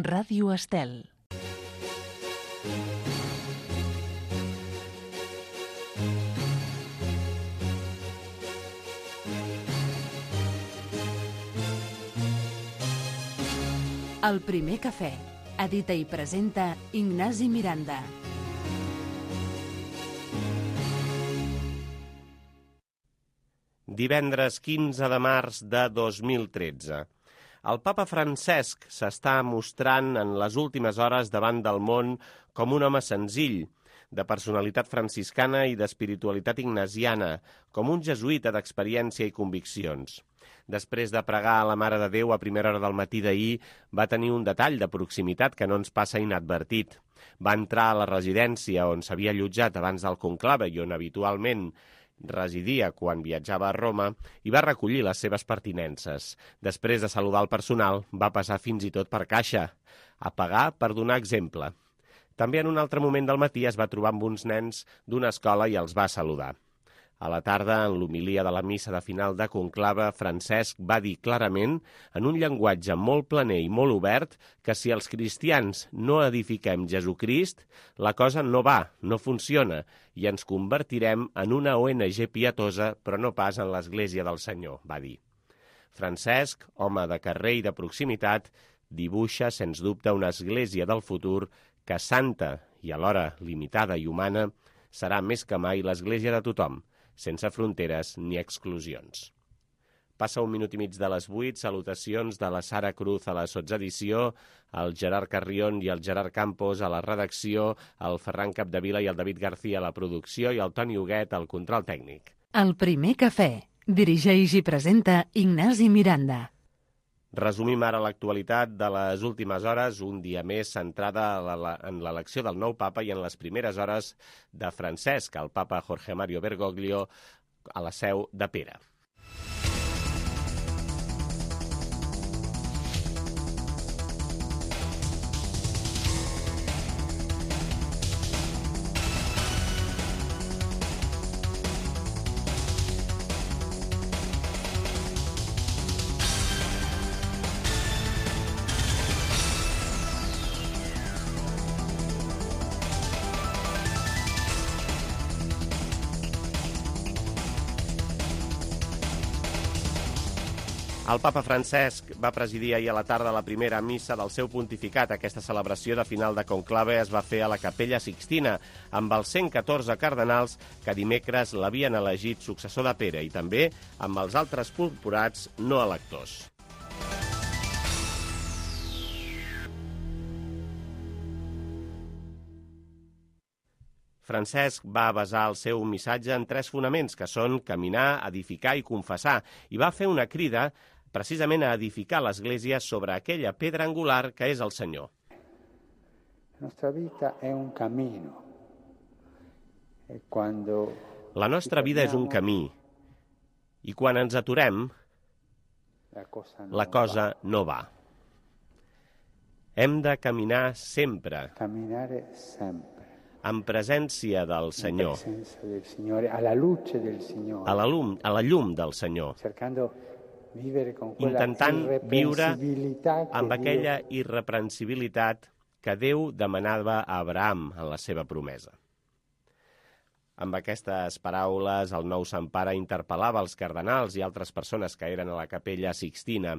Ràdio Estel. El primer cafè. Edita i presenta Ignasi Miranda. Divendres 15 de març de 2013. El papa Francesc s'està mostrant en les últimes hores davant del món com un home senzill, de personalitat franciscana i d'espiritualitat ignasiana, com un jesuïta d'experiència i conviccions. Després de pregar a la Mare de Déu a primera hora del matí d'ahir, va tenir un detall de proximitat que no ens passa inadvertit. Va entrar a la residència on s'havia allotjat abans del conclave i on habitualment residia quan viatjava a Roma i va recollir les seves pertinences. Després de saludar el personal, va passar fins i tot per caixa, a pagar per donar exemple. També en un altre moment del matí es va trobar amb uns nens d'una escola i els va saludar. A la tarda, en l'homilia de la missa de final de conclave, Francesc va dir clarament, en un llenguatge molt planer i molt obert, que si els cristians no edifiquem Jesucrist, la cosa no va, no funciona, i ens convertirem en una ONG pietosa, però no pas en l'Església del Senyor, va dir. Francesc, home de carrer i de proximitat, dibuixa, sens dubte, una església del futur que santa i alhora limitada i humana serà més que mai l'església de tothom, sense fronteres ni exclusions. Passa un minut i mig de les 8, salutacions de la Sara Cruz a la sotsedició, el Gerard Carrion i el Gerard Campos a la redacció, el Ferran Capdevila i el David García a la producció i el Toni Huguet al control tècnic. El primer cafè. Dirigeix i presenta Ignasi Miranda. Resumim ara l'actualitat de les últimes hores, un dia més centrada en l'elecció del nou papa i en les primeres hores de Francesc, el papa Jorge Mario Bergoglio, a la seu de Pera. El papa Francesc va presidir ahir a la tarda la primera missa del seu pontificat. Aquesta celebració de final de conclave es va fer a la Capella Sixtina, amb els 114 cardenals que dimecres l'havien elegit successor de Pere i també amb els altres purpurats no electors. Francesc va basar el seu missatge en 3 fonaments, que són caminar, edificar i confessar, i va fer una crida precisament a edificar l'Església sobre aquella pedra angular que és el Senyor. La nostra vida és un camí, i quan ens aturem, la cosa no va. Hem de caminar sempre, en presència del Senyor, a la llum del Senyor, intentant viure amb aquella irreprensibilitat que Déu demanava a Abraham en la seva promesa. Amb aquestes paraules, el nou Sant Pare interpel·lava els cardenals i altres persones que eren a la Capella Sixtina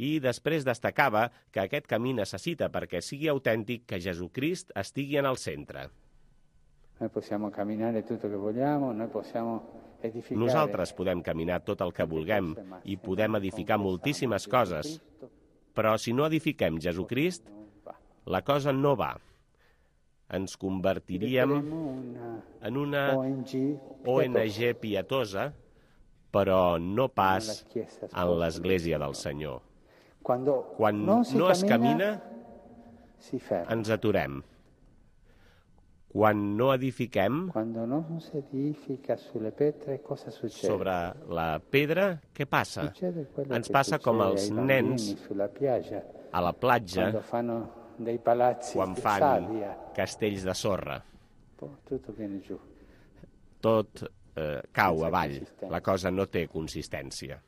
i després destacava que aquest camí necessita, perquè sigui autèntic, que Jesucrist estigui en el centre. Nosaltres podem caminar tot el que vulguem i podem edificar moltíssimes coses, però si no edifiquem Jesucrist, la cosa no va. Ens convertiríem en una ONG pietosa, però no pas en l'Església del Senyor. Quan no es camina, ens aturem. Quan no edifiquem sobre la pedra, què passa? Ens passa com als nens a la platja quan fan castells de sorra. Tot cau avall, la cosa no té consistència.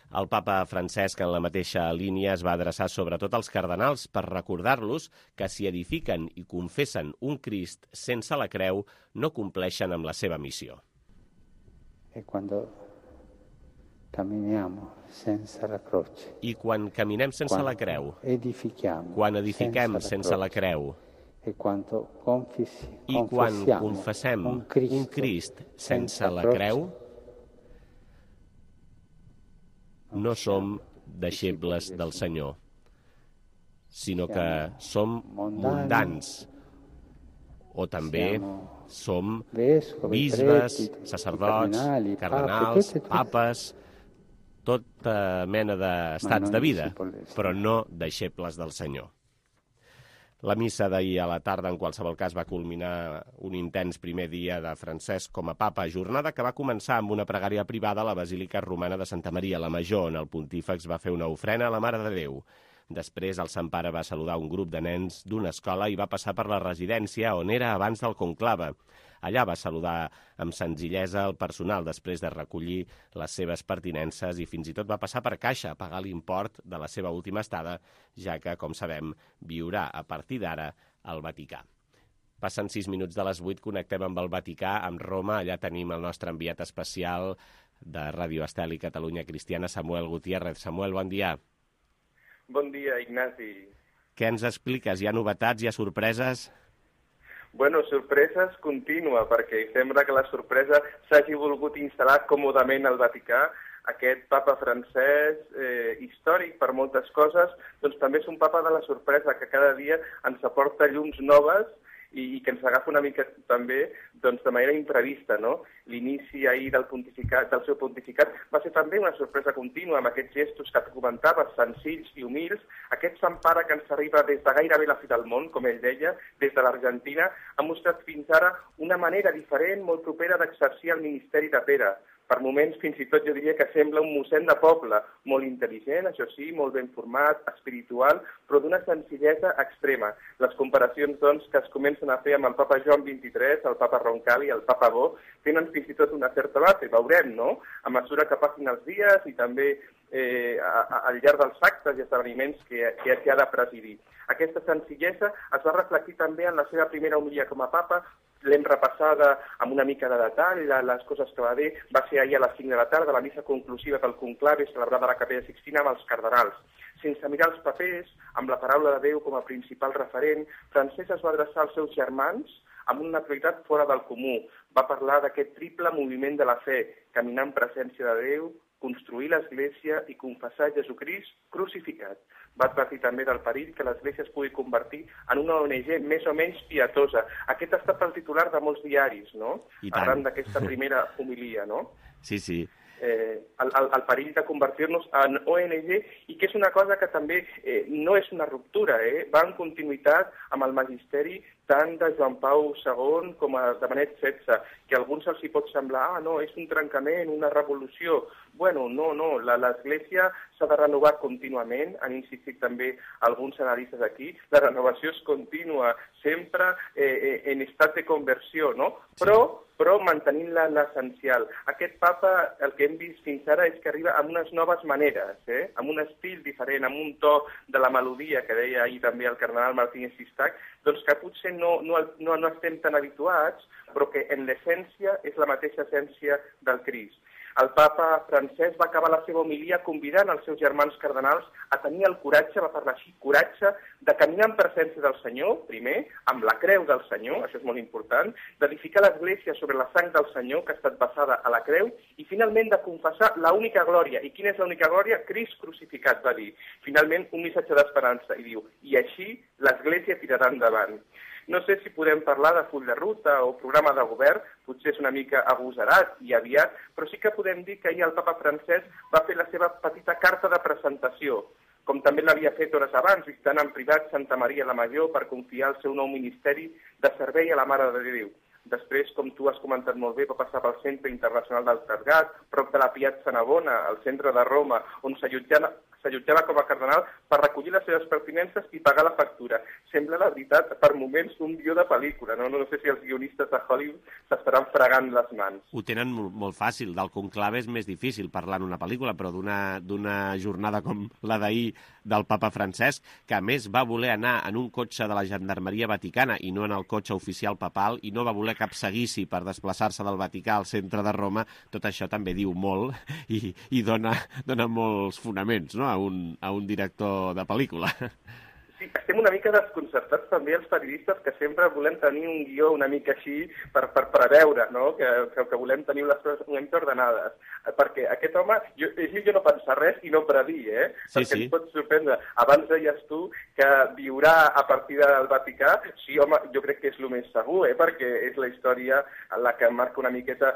El papa Francesc, en la mateixa línia, es va adreçar sobretot als cardenals per recordar-los que si edifiquen i confessen un Crist sense la creu, no compleixen amb la seva missió. E quando camminiamo senza la croce, I quan caminem sense la creu, quan edifiquem sense la creu, i quan confessem un Crist sense la creu, no som deixebles del Senyor, sinó que som mundans, o també som bisbes, sacerdots, cardenals, papes, tota mena d'estats de vida, però no deixebles del Senyor. La missa d'ahir a la tarda, en qualsevol cas, va culminar un intens primer dia de Francesc com a papa, jornada que va començar amb una pregària privada a la Basílica Romana de Santa Maria la Major, on el pontífex va fer una ofrena a la Mare de Déu. Després, el Sant Pare va saludar un grup de nens d'una escola i va passar per la residència on era abans del conclave. Allà va saludar amb senzillesa el personal després de recollir les seves pertinences i fins i tot va passar per caixa a pagar l'import de la seva última estada, ja que, com sabem, viurà a partir d'ara al Vaticà. Passen 6 minuts de les 8, connectem amb el Vaticà, amb Roma. Allà tenim el nostre enviat especial de Ràdio Estel i Catalunya Cristiana, Samuel Gutiérrez. Samuel, bon dia. Bon dia, Ignasi. Què ens expliques? Hi ha novetats, hi ha sorpreses? Bueno, sorpreses contínua, perquè sembla que la sorpresa s'hagi volgut instal·lar còmodament al Vaticà. Aquest papa francès, històric per moltes coses, doncs també és un papa de la sorpresa, que cada dia ens aporta llums noves i que ens agafa una mica també doncs, de manera imprevista, no? L'inici ahir del seu pontificat va ser també una sorpresa contínua amb aquests gestos que comentaves, senzills i humils. Aquest Sant Pare que ens arriba des de gairebé la fi del món, com ell deia, des de l'Argentina, ha mostrat fins ara una manera diferent, molt propera d'exercir el ministeri de Pere. Per moments, fins i tot, jo diria que sembla un mossèn de poble, molt intel·ligent, això sí, molt ben format, espiritual, però d'una senzillesa extrema. Les comparacions, doncs, que es comencen a fer amb el papa Joan XXIII, el papa Roncalli i el papa Bo, tenen fins i tot una certa base, veurem, no?, a mesura que passin els dies i també al llarg dels actes i esdeveniments que ha de presidir. Aquesta senzillesa es va reflectir també en la seva primera homilia com a papa. L'hem repassada amb una mica de detall, les coses que va dir. Va ser ahir a les 5 de la tarda, la missa conclusiva del conclave celebrada a la Capella Sixtina amb els cardenals. Sense mirar els papers, amb la paraula de Déu com a principal referent, Francesc es va adreçar als seus germans amb una prioritat fora del comú. Va parlar d'aquest triple moviment de la fe, caminar en presència de Déu, construir l'Església i confessar Jesucrist crucificat. Va advertir també del perill que l'Església es pugui convertir en una ONG més o menys pietosa. Aquest ha estat el titular de molts diaris, no?, arran d'aquesta primera homilia, no? Sí, sí. El perill de convertir-nos en ONG, i que és una cosa que també no és una ruptura, va en continuïtat amb el magisteri tant de Joan Pau II com de Benet XVI, que a alguns els hi pot semblar, no, és un trencament, una revolució. Bueno, no, l'Església s'ha de renovar contínuament, han insistit també alguns analistes aquí, la renovació és contínua, sempre en estat de conversió, no? Però mantenint l'essencial. Aquest papa, el que hem vist fins ara és que arriba amb unes noves maneres, amb un estil diferent, amb un to de la melodia, que deia ahir també el cardenal Martínez Sistac, doncs que potser no estem tan habituats, però que en l'essència és la mateixa essència del Crist. El papa Francesc va acabar la seva homilia convidant els seus germans cardenals a tenir el coratge, va parlar així, coratge, de caminar en presència del Senyor, primer, amb la creu del Senyor, això és molt important, d'edificar l'Església sobre la sang del Senyor, que ha estat basada a la creu, i finalment de confessar l'única glòria. I quina és l'única glòria? Crist crucificat, va dir. Finalment, un missatge d'esperança, i diu, i així l'Església tirarà endavant. No sé si podem parlar de full de ruta o programa de govern, potser és una mica agosarat i aviat, però sí que podem dir que ahir el papa Francesc va fer la seva petita carta de presentació, com també l'havia fet hores abans, visitant en privat Santa Maria la Major per confiar el seu nou ministeri de servei a la Mare de Déu. Després, com tu has comentat molt bé, va passar pel Centre Internacional del Tergat, prop de la Piazza Navona, al centre de Roma, on s'allotjava com a cardenal per recollir les seves pertinences i pagar la factura. Sembla, la veritat, per moments un guió de pel·lícula, no? No sé si els guionistes de Hollywood s'estaran fregant les mans. Ho tenen molt fàcil. Del conclave és més difícil parlar en una pel·lícula, però d'una jornada com la d'ahir del papa Francesc, que a més va voler anar en un cotxe de la Gendarmeria Vaticana i no en el cotxe oficial papal, i no va voler cap seguici per desplaçar-se del Vaticà al centre de Roma, tot això també diu molt i dona molts fonaments, no?, a un director de pel·lícula. Sí, estem una mica desconcertats també els periodistes que sempre volem tenir un guió una mica així per preveure, no? Que volem tenir les coses una mica ordenades. Perquè aquest home, jo no pensa res i no predir, Sí, perquè ens pot sorprendre. Abans deies tu que viurà a partir del Vaticà. Sí, home, jo crec que és el més segur, perquè és la història la que marca una miqueta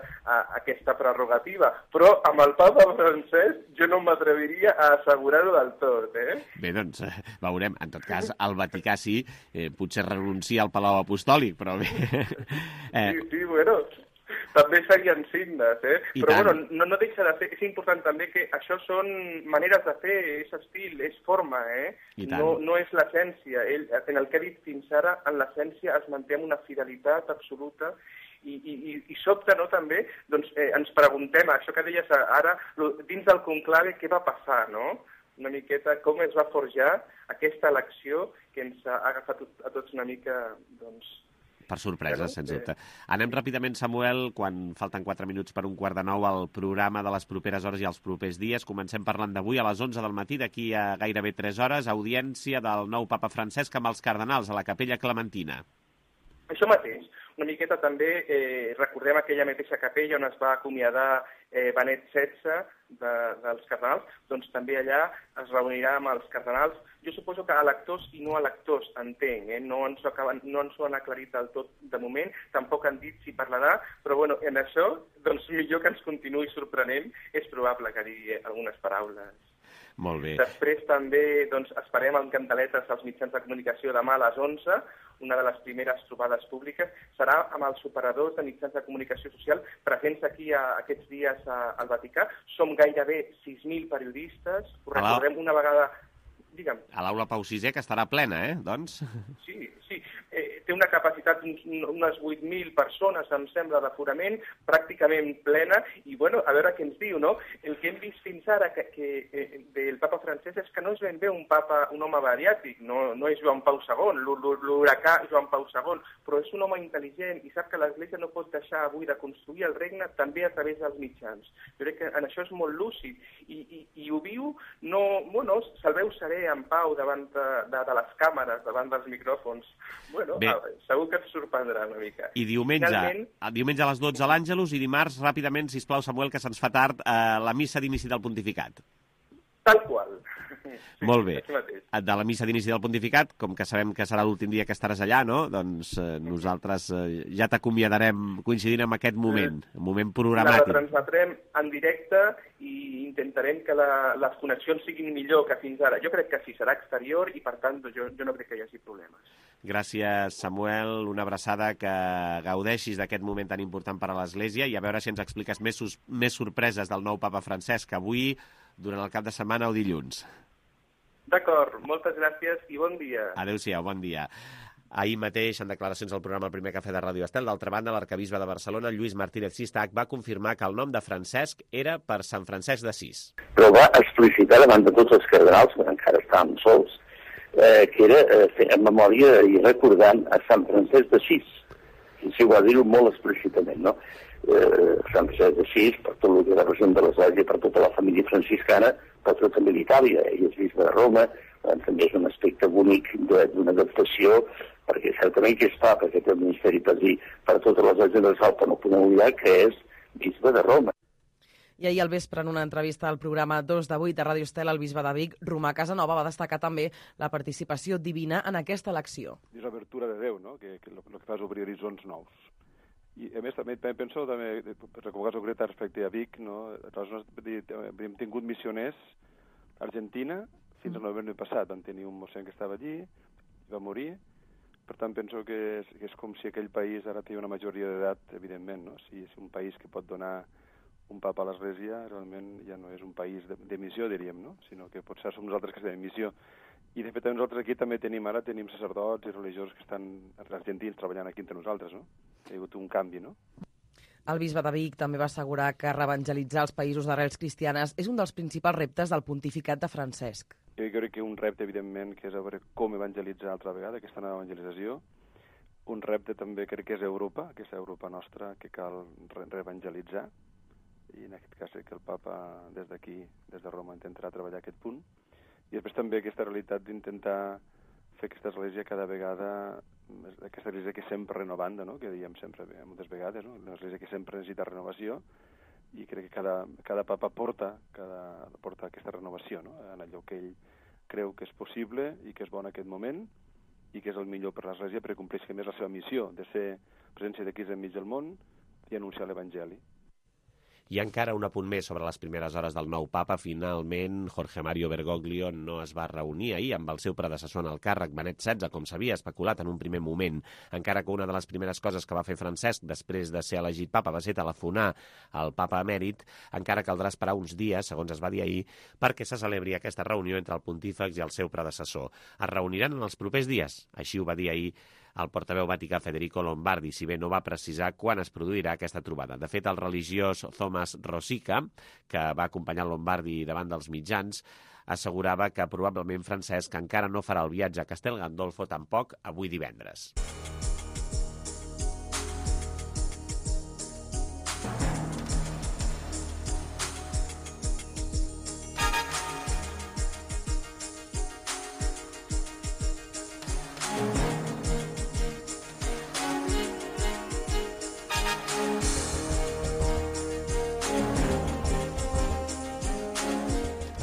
aquesta prerrogativa. Però amb el papa Francesc jo no m'atreviria a assegurar-ho del tot, Bé, doncs, veurem. En tot cas, al Vaticà sí, potser renuncia al Palau Apostòlic, però bé... Sí, bueno, també serien signes, Però tant. bueno, no deixa de ser, és important també que això són maneres de fer, és estil, és forma, No és l'essència. En el que ha dit fins ara, en l'essència es manté amb una fidelitat absoluta i sobte, no, també, doncs ens preguntem, això que deies ara, dins del conclave, què va passar, no? Una miqueta com es va forjar aquesta elecció que ens ha agafat a tots una mica, doncs... Per sorpresa, sens dubte. Anem ràpidament, Samuel, quan falten 4 minuts per 8:45 al programa de les properes hores i els propers dies. Comencem parlant d'avui a les 11 del matí, d'aquí a gairebé 3 hores, audiència del nou papa Francesc amb els cardenals a la Capella Clementina. Això mateix. Una miqueta també recordem aquella mateixa capella on es va acomiadar Benet XVI dels cardenals, doncs també allà es reunirà amb els cardenals. Jo suposo que electors i no electors, entenc, no ens ho han aclarit del tot de moment, tampoc han dit si parlarà, però bueno, en això, doncs millor que ens continuï sorprenent, és probable que digui algunes paraules. Molt bé. Després també doncs, esperem amb cantaletes als mitjans de comunicació demà a les 11, una de les primeres trobades públiques, serà amb els operadors de mitjans de comunicació social presents aquí aquests dies al Vaticà. Som gairebé 6.000 periodistes, ho recordem una vegada... Digue'm. A l'aula Pau VI, que estarà plena, doncs? Sí. Té una capacitat d'unes 8.000 persones, em sembla, d'aforament, pràcticament plena, i bueno, a veure què ens diu, no? El que hem vist fins ara del papa Francesc és que no és ben bé un home bariàtric, no és Joan Pau II, l'huracà Joan Pau II, però és un home intel·ligent i sap que l'Església no pot deixar avui de construir el regne també a través dels mitjans. Jo crec que en això és molt lúcid i ho viu, se'l veu serè en pau davant de les càmeres, davant dels micròfons. Bueno, segur que et sorprendrà una mica. I diumenge a les 12 a l'Àngelus i dimarts, ràpidament, sisplau, Samuel, que se'ns fa tard, la missa d'inici del pontificat. Tal qual. Sí, molt bé. De la missa d'inici del pontificat, com que sabem que serà l'últim dia que estaràs allà, no? Doncs nosaltres ja t'acomiadarem coincidint amb aquest moment programàtic. La transmetrem en directe i intentarem que les connexions siguin millor que fins ara. Jo crec que sí, serà exterior i, per tant, jo no crec que hi hagi problemes. Gràcies, Samuel. Una abraçada, que gaudeixis d'aquest moment tan important per a l'Església i a veure si ens expliques més sorpreses del nou papa Francesc, avui, durant el cap de setmana o dilluns. D'acord, moltes gràcies i bon dia. Adéu-siau, bon dia. Ahir mateix, en declaracions al programa El Primer Cafè de Ràdio Estel, d'altra banda, l'arquebisbe de Barcelona, Lluís Martínez Sistac, va confirmar que el nom de Francesc era per Sant Francesc d'Assís. Però va explicitar davant de tots els cardenals, que encara estàvem sols, que era en memòria i recordant a Sant Francesc d'Assís. I si ho va dir-ho molt explícitament, no? Sant Francesc d'Assís, per tot el que representa l'Església, per tota la família franciscana, per tota també l'Itàlia. Ell és bisbe de Roma, també és un aspecte bonic d'una adaptació, perquè certament que és papa, que té el ministeri per dir per totes les agendes d'Alta, no podem oblidar que és bisbe de Roma. I ahir al vespre, en una entrevista al programa 2 de 8 de Ràdio Estel, el bisbe de Vic, Romà Casanova, va destacar també la participació divina en aquesta elecció. És l'obertura de Déu, no? que el que fa és obrir horitzons nous. I a més també penso, recordar concret respecte a Vic, no? Hem tingut missioners a Argentina fins al novembre passat. Vam tenir un mossèn que estava allí, va morir. Per tant, penso que és com si aquell país ara té una majoria d'edat, evidentment, no? Si és un país que pot donar un papa a l'Església realment ja no és un país de missió, diríem, no? Sinó que potser som nosaltres que estem en missió. I de fet nosaltres aquí també tenim sacerdots i religiosos que estan argentins treballant aquí entre nosaltres, no? Hi ha hagut un canvi, no? El bisbe de Vic també va assegurar que reevangelitzar els països d'arrels cristianes és un dels principals reptes del pontificat de Francesc. Jo crec que un repte, evidentment, que és a veure com evangelitzar altra vegada, aquesta nova evangelització. Un repte també crec que és Europa, aquesta Europa nostra que cal reevangelitzar. I en aquest cas crec que el papa des d'aquí, des de Roma, intentarà treballar aquest punt. I després també aquesta realitat d'intentar fer aquesta església cada vegada, aquesta església que sempre renovant, no? Que diem sempre moltes vegades, no? Una església que sempre necessita renovació i crec que cada papa porta aquesta renovació, no? En allò que ell creu que és possible i que és bo en aquest moment i que és el millor per l'església perquè compleixi més la seva missió de ser presència de Crist enmig del món i anunciar l'Evangeli. I encara un apunt més sobre les primeres hores del nou papa. Finalment, Jorge Mario Bergoglio no es va reunir ahir amb el seu predecessor en el càrrec, Benet XVI, com s'havia especulat en un primer moment. Encara que una de les primeres coses que va fer Francesc després de ser elegit papa va ser telefonar al papa emèrit, encara caldrà esperar uns dies, segons es va dir ahir, perquè se celebri aquesta reunió entre el pontífex i el seu predecessor. Es reuniran en els propers dies, així ho va dir ahir el portaveu vaticà Federico Lombardi, si bé no va precisar quan es produirà aquesta trobada. De fet, el religiós Thomas Rosica, que va acompanyar Lombardi davant dels mitjans, assegurava que probablement Francesc encara no farà el viatge a Castel Gandolfo tampoc avui divendres.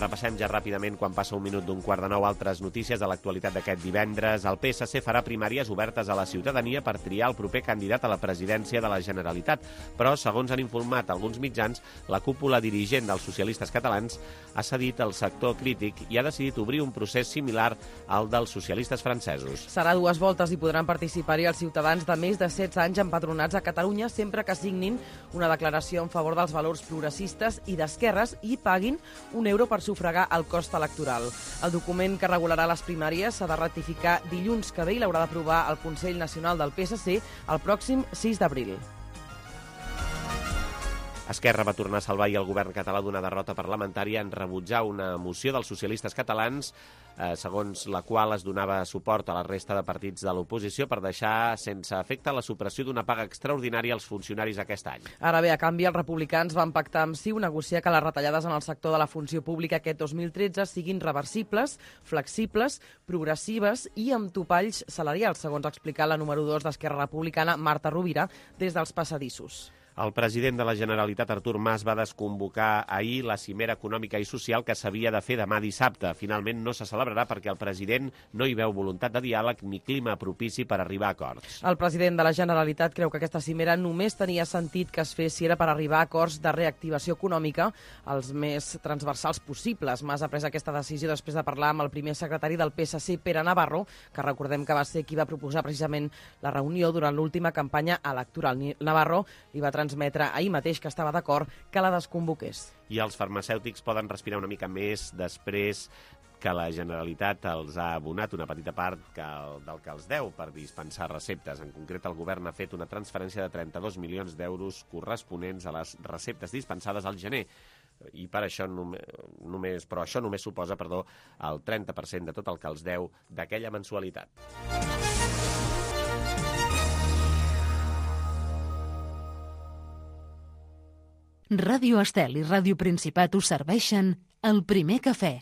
Repassem ja ràpidament, quan passa un minut d'un quart de nou, altres notícies de l'actualitat d'aquest divendres. El PSC farà primàries obertes a la ciutadania per triar el proper candidat a la presidència de la Generalitat. Però, segons han informat alguns mitjans, la cúpula dirigent dels socialistes catalans ha cedit al sector crític i ha decidit obrir un procés similar al dels socialistes francesos. Serà 2 voltes i podran participar-hi els ciutadans de més de 16 anys empadronats a Catalunya sempre que signin una declaració en favor dels valors progressistes i d'esquerres i paguin €1 per sufragar el cost electoral. El document que regularà les primàries s'ha de ratificar dilluns que ve i l'haurà d'aprovar el Consell Nacional del PSC el pròxim 6 d'abril. Esquerra va tornar a salvar ahir el govern català d'una derrota parlamentària en rebutjar una moció dels socialistes catalans segons la qual es donava suport a la resta de partits de l'oposició per deixar sense efecte la supressió d'una paga extraordinària als funcionaris aquest any. Ara bé, a canvi, els republicans van pactar amb CiU negociar que les retallades en el sector de la funció pública aquest 2013 siguin reversibles, flexibles, progressives i amb topalls salarials, segons ha explicat la número 2 d'Esquerra Republicana, Marta Rovira, des dels passadissos. El president de la Generalitat, Artur Mas, va desconvocar ahir la cimera econòmica i social que s'havia de fer demà dissabte. Finalment no se celebrarà perquè el president no hi veu voluntat de diàleg ni clima propici per arribar a acords. El president de la Generalitat creu que aquesta cimera només tenia sentit que es fes si era per arribar a acords de reactivació econòmica els més transversals possibles. Mas ha pres aquesta decisió després de parlar amb el primer secretari del PSC, Pere Navarro, que recordem que va ser qui va proposar precisament la reunió durant l'última campanya electoral. Navarro li va transmetre ahir mateix que estava d'acord que la desconvoqués. I els farmacèutics poden respirar una mica més després que la Generalitat els ha abonat una petita part del que els deu per dispensar receptes. En concret, el govern ha fet una transferència de 32 milions d'euros corresponents a les receptes dispensades al gener. I per això però això només suposa, el 30% de tot el que els deu d'aquella mensualitat. Ràdio Estel i Ràdio Principat us serveixen el primer cafè.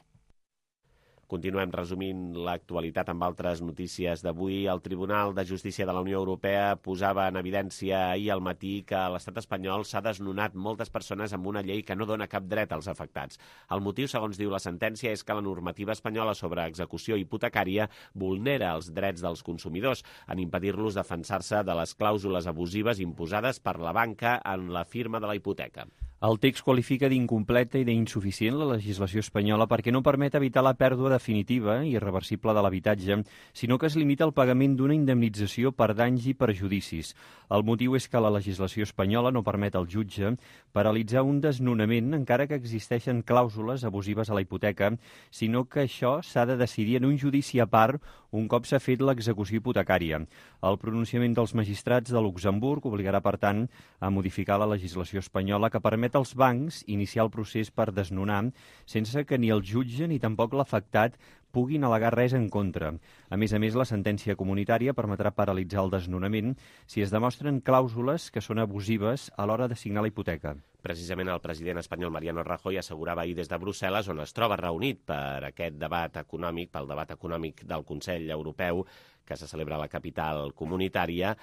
Continuem resumint l'actualitat amb altres notícies d'avui. El Tribunal de Justícia de la Unió Europea posava en evidència ahir al matí que a l'estat espanyol s'ha desnonat moltes persones amb una llei que no dona cap dret als afectats. El motiu, segons diu la sentència, és que la normativa espanyola sobre execució hipotecària vulnera els drets dels consumidors en impedir-los defensar-se de les clàusules abusives imposades per la banca en la firma de la hipoteca. El text qualifica d'incompleta i d'insuficient la legislació espanyola perquè no permet evitar la pèrdua definitiva i irreversible de l'habitatge, sinó que es limita al pagament d'una indemnització per danys i perjudicis. El motiu és que la legislació espanyola no permet al jutge paralitzar un desnonament encara que existeixen clàusules abusives a la hipoteca, sinó que això s'ha de decidir en un judici a part un cop s'ha fet l'execució hipotecària. El pronunciament dels magistrats de Luxemburg obligarà, per tant, a modificar la legislació espanyola que permet als bancs iniciar el procés per desnonar sense que ni el jutge ni tampoc l'afectat puguin al·legar res en contra. A més, la sentència comunitària permetrà paralitzar el desnonament si es demostren clàusules que són abusives a l'hora de signar la hipoteca. Precisament el president espanyol Mariano Rajoy assegurava ahir des de Brussel·les, on es troba reunit per aquest debat econòmic, pel debat econòmic del Consell Europeu, que se celebra a la capital comunitària,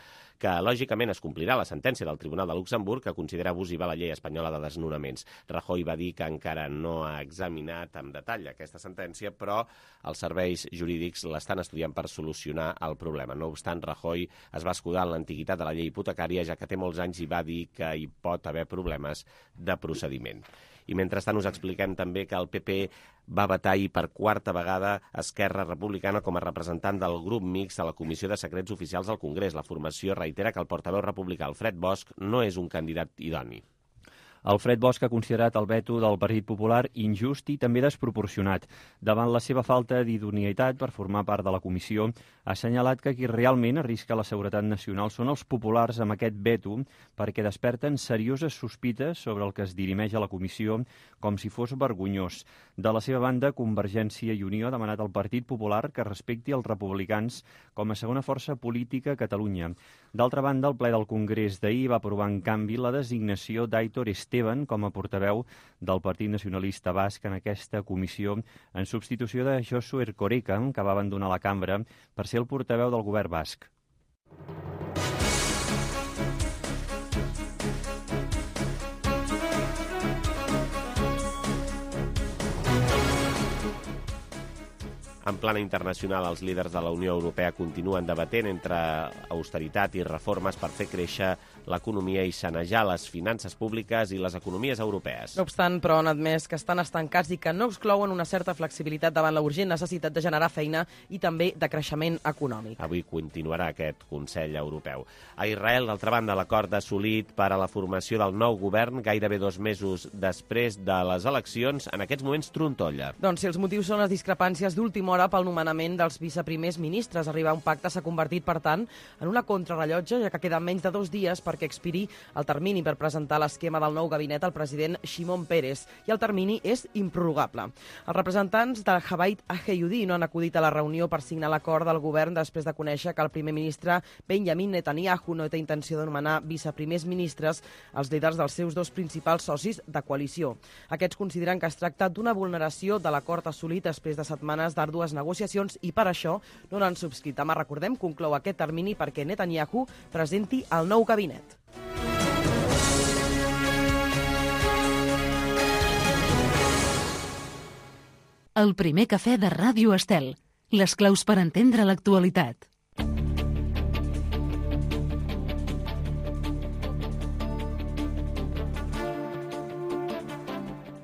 que lògicament es complirà la sentència del Tribunal de Luxemburg que considera abusiva la llei espanyola de desnonaments. Rajoy va dir que encara no ha examinat amb detall aquesta sentència, però els serveis jurídics l'estan estudiant per solucionar el problema. No obstant, Rajoy es va escudar en l'antiguitat de la llei hipotecària, ja que té molts anys i va dir que hi pot haver problemes de procediment. I mentrestant us expliquem també que el PP va vetar ahir per quarta vegada Esquerra Republicana com a representant del grup mixt a la Comissió de Secrets Oficials del Congrés. La formació reitera que el portaveu republicà Alfred Bosch no és un candidat idoni. Alfred Bosch ha considerat el veto del Partit Popular injust i també desproporcionat. Davant la seva falta d'idoneïtat per formar part de la comissió, ha assenyalat que qui realment arrisca la seguretat nacional són els populars amb aquest veto perquè desperten serioses sospites sobre el que es dirimeix a la comissió com si fos vergonyós. De la seva banda, Convergència i Unió ha demanat al Partit Popular que respecti els republicans com a segona força política a Catalunya. D'altra banda, el ple del Congrés d'ahir va aprovar en canvi la designació d'Aitor Esteban com a portaveu del Partit Nacionalista Basc en aquesta comissió en substitució de Josu Erkoreka, que va abandonar la cambra per ser el portaveu del govern basc. En plana internacional, els líders de la Unió Europea continuen debatent entre austeritat i reformes per fer créixer l'economia i sanejar les finances públiques i les economies europees. No obstant, però, han admès que estan estancats i que no exclouen una certa flexibilitat davant la urgent necessitat de generar feina i també de creixement econòmic. Avui continuarà aquest Consell Europeu. A Israel, d'altra banda, l'acord assolit per a la formació del nou govern gairebé 2 mesos després de les eleccions, en aquests moments trontolla. Doncs si els motius són les discrepàncies d'última hora pel nomenament dels viceprimers ministres, arribar a un pacte s'ha convertit, per tant, en una contrarrellotge, ja que queden menys de 2 dies perquè expiri el termini per presentar l'esquema del nou gabinet al president Shimon Peres, i el termini és improrrogable. Els representants del Jabait Aheyudi no han acudit a la reunió per signar l'acord del govern després de conèixer que el primer ministre Benjamin Netanyahu no té intenció de nomenar viceprimers ministres als líders dels seus 2 principals socis de coalició. Aquests consideren que es tracta d'una vulneració de l'acord assolit després de setmanes d'àrdues negociacions i per això no l'han subscrit. Demà, recordem, conclou aquest termini perquè Netanyahu presenti el nou gabinet. El primer cafè de Ràdio Estel. Les claus per entendre l'actualitat.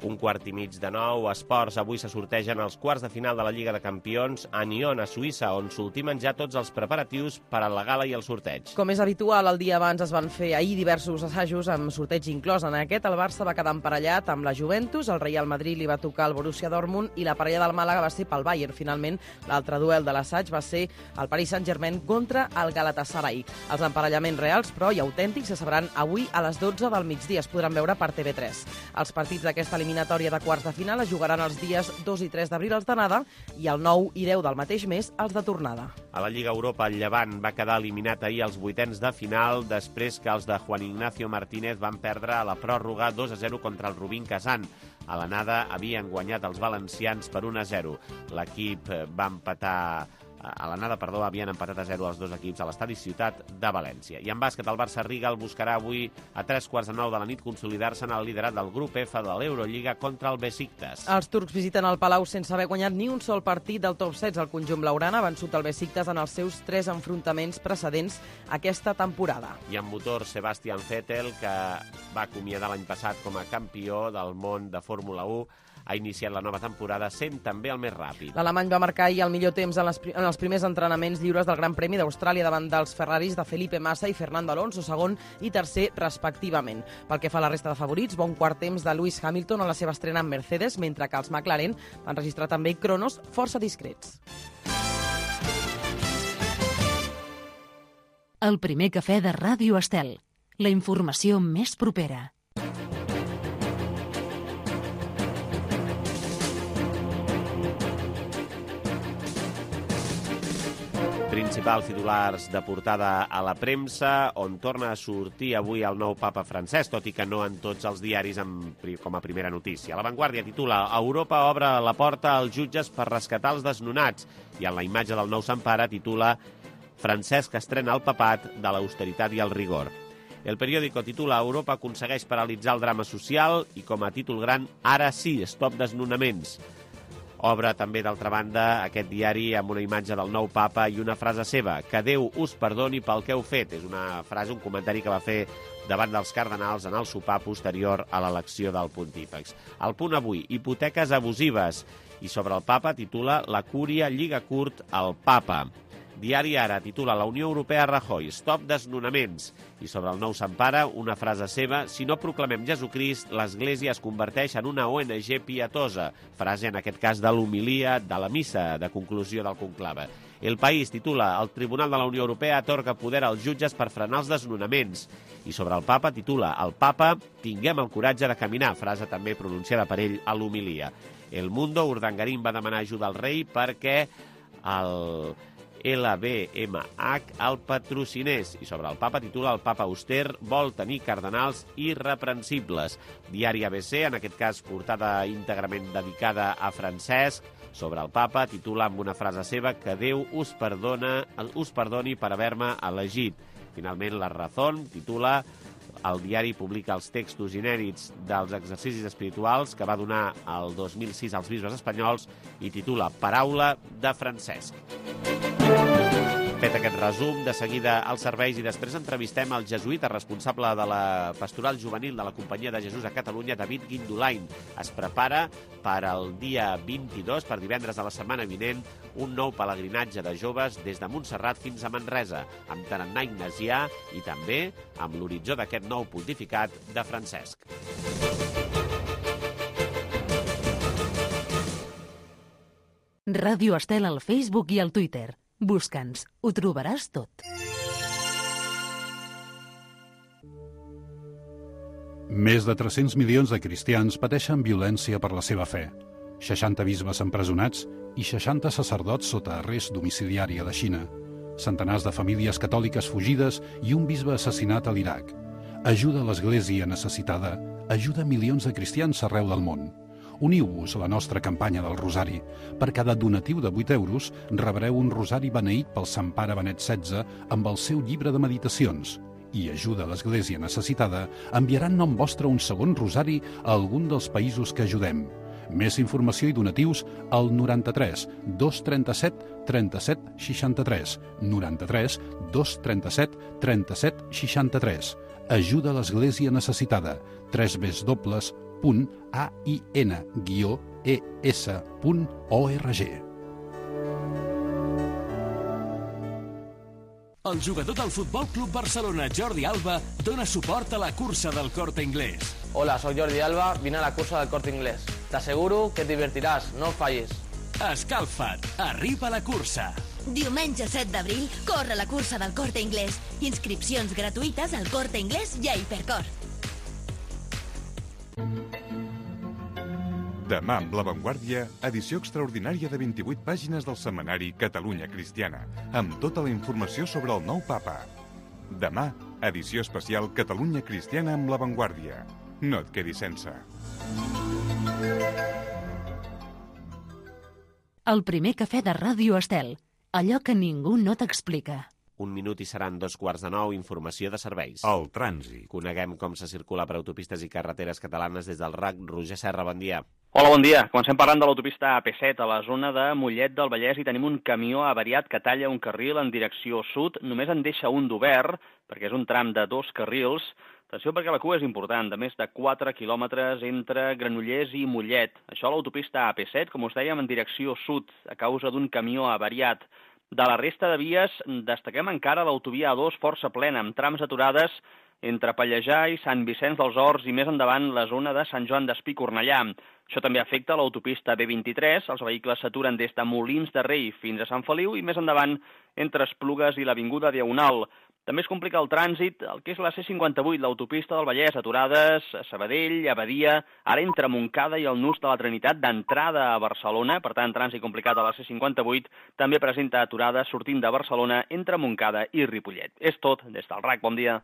Un quart i mig de 9, esports. Avui se sortegen els quarts de final de la Lliga de Campions a Nyon, a Suïssa, on s'ultimen ja tots els preparatius per a la gala i el sorteig. Com és habitual, el dia abans es van fer ahir diversos assajos amb sorteig inclòs. En aquest, el Barça va quedar emparellat amb la Juventus, el Real Madrid li va tocar el Borussia Dortmund i la parella del Màlaga va ser pel Bayern. Finalment, l'altre duel de l'assaig va ser el Paris Saint-Germain contra el Galatasaray. Els emparellaments reals, però, i autèntics, se sabran avui a les 12 del migdia. Es podran veure per TV3. Els partits d'aquesta eliminatòria de quarts de final es jugaran els dies 2 i 3 d'abril els d'anada i el 9 i 10 del mateix mes els de tornada. A la Lliga Europa, el Llevant va quedar eliminat ahir als 8ens de final després que els de Juan Ignacio Martínez van perdre a la pròrroga 2-0 contra el Rubin Kazan. A l'anada havien guanyat els valencians per 1-0. L'equip va empatar havien empatat a 0 els dos equips a l'estadi Ciutat de València. I en bàsquet, el Barça-Riga el buscarà avui a 3:45 de la nit consolidar-se en el liderat del grup F de l'Eurolliga contra el Besiktas. Els turcs visiten el Palau sense haver guanyat ni un sol partit del top 16. El conjunt blaugrana ha vençut el Besiktas en els seus 3 enfrontaments precedents aquesta temporada. I en motor, Sebastian Vettel, que va acomiadar l'any passat com a campió del món de Fórmula 1, ha iniciat la nova temporada sent també el més ràpid. L'alemany va marcar ahir el millor temps en els primers entrenaments lliures del Gran Premi d'Austràlia davant dels Ferraris de Felipe Massa i Fernando Alonso, segon i tercer respectivament. Pel que fa a la resta de favorits, bon quart temps de Lewis Hamilton a la seva estrena en Mercedes, mentre que els McLaren van registrar també cronos força discrets. El primer cafè de Ràdio Estel. La informació més propera. Principals titulars de portada a la premsa, on torna a sortir avui el nou papa francès, tot i que no en tots els diaris com a primera notícia. La Vanguardia titula «Europa obre la porta als jutges per rescatar els desnonats» i en la imatge del nou Sant Pare titula «Francesc estrena el papat de l'austeritat i el rigor». El periòdico titula «Europa aconsegueix paralitzar el drama social» i com a títol gran «Ara sí, stop desnonaments». Obre també, d'altra banda, aquest diari amb una imatge del nou papa i una frase seva, que Déu us perdoni pel que heu fet. És una frase, un comentari que va fer davant dels cardenals en el sopar posterior a l'elecció del pontífex. El Punt avui, hipoteques abusives. I sobre el papa titula La cúria lliga curt al papa. Diari Ara titula La Unió Europea Rajoy, stop desnonaments. I sobre el nou Sant Pare, una frase seva, si no proclamem Jesucrist, l'Església es converteix en una ONG pietosa. Frase, en aquest cas, de l'homilia de la missa de conclusió del conclave. El País titula El Tribunal de la Unió Europea atorga poder als jutges per frenar els desnonaments. I sobre el papa titula El papa, tinguem el coratge de caminar. Frase també pronunciada per ell a l'homilia. El Mundo, Urdangarín va demanar ajuda al rei perquè el LVMH el patrocinés. I sobre el papa titula El papa auster vol tenir cardenals irreprensibles. Diari ABC, en aquest cas portada íntegrament dedicada a Francesc. Sobre el papa titula amb una frase seva que Déu us perdoni per haver-me elegit. Finalment, La Razón titula el diari publica els textos inèdits dels exercicis espirituals que va donar el 2006 als bisbes espanyols i titula Paraula de Francesc. Fet aquest resum, de seguida als serveis i després entrevistem el jesuïta responsable de la pastoral juvenil de la Companyia de Jesús a Catalunya, David Guindolain. Es prepara per al dia 22, per divendres de la setmana vinent, un nou pelegrinatge de joves des de Montserrat fins a Manresa, amb tarannà ignasià i també amb l'horitzó d'aquest nou pontificat de Francesc. Ràdio Estel al Facebook i al Twitter. Busca'ns, ho trobaràs tot. Més de 300 milions de cristians pateixen violència per la seva fe. 60 bisbes empresonats i 60 sacerdots sota arrest domiciliari a la Xina. Centenars de famílies catòliques fugides i un bisbe assassinat a l'Iraq. Ajuda a l'Església necessitada, ajuda milions de cristians arreu del món. Uniu-vos a la nostra campanya del Rosari. Per cada donatiu de 8 euros rebreu un rosari beneït pel Sant Pare Benet XVI amb el seu llibre de meditacions. I ajuda a l'Església necessitada enviaran nom vostre un segon rosari a algun dels països que ajudem. Més informació i donatius al 93 237 37 63. 93 237 37 63. Ajuda a l'Església necessitada. www.ain-es.org. El jugador del Futbol Club Barcelona, Jordi Alba, dona suport a la cursa del Corte Inglés. Hola, soy Jordi Alba, vine a la cursa del Corte Inglés. Te aseguro que et divertiràs, no fallis. Escalfa't, arriba a la cursa. Diumenge 7 d'abril, corre la cursa del Corte Inglés. Inscripcions gratuïtes al Corte Inglés i a Hipercor. Demà amb La Vanguardia, edició extraordinària de 28 pàgines del setmanari Catalunya Cristiana, amb tota la informació sobre el nou papa. Demà, edició especial Catalunya Cristiana amb La Vanguardia. No et quedis sense. El primer cafè de Ràdio Estel. allò que ningú no t'explica. 1 minut i seran 2:15, informació de serveis. El trànsit. Coneguem com se circula per autopistes i carreteres catalanes des del RAC. Roger Serra, bon dia. Hola, bon dia. Comencem parlant de l'autopista AP7 a la zona de Mollet del Vallès i tenim un camió avariat que talla un carril en direcció sud. Només en deixa un d'obert, perquè és un tram de 2 carrils. Atenció perquè la cua és important, de més de 4 quilòmetres entre Granollers i Mollet. Això a l'autopista AP7, com us dèiem, en direcció sud, a causa d'un camió avariat. De la resta de vies, destaquem encara l'autovia A2 força plena, amb trams aturades entre Pallejà i Sant Vicenç dels Horts i més endavant la zona de Sant Joan d'Espí i Cornellà. Això també afecta l'autopista B23, els vehicles s'aturen des de Molins de Rei fins a Sant Feliu i més endavant entre Esplugues i l'Avinguda Diagonal. També es complica el trànsit, el que és la C58, l'autopista del Vallès, aturades a Sabadell, a Badia, ara entre Montcada i el Nus de la Trinitat d'entrada a Barcelona, per tant, trànsit complicat a la C58, també presenta aturades sortint de Barcelona entre Montcada i Ripollet. És tot, des del RAC, bon dia.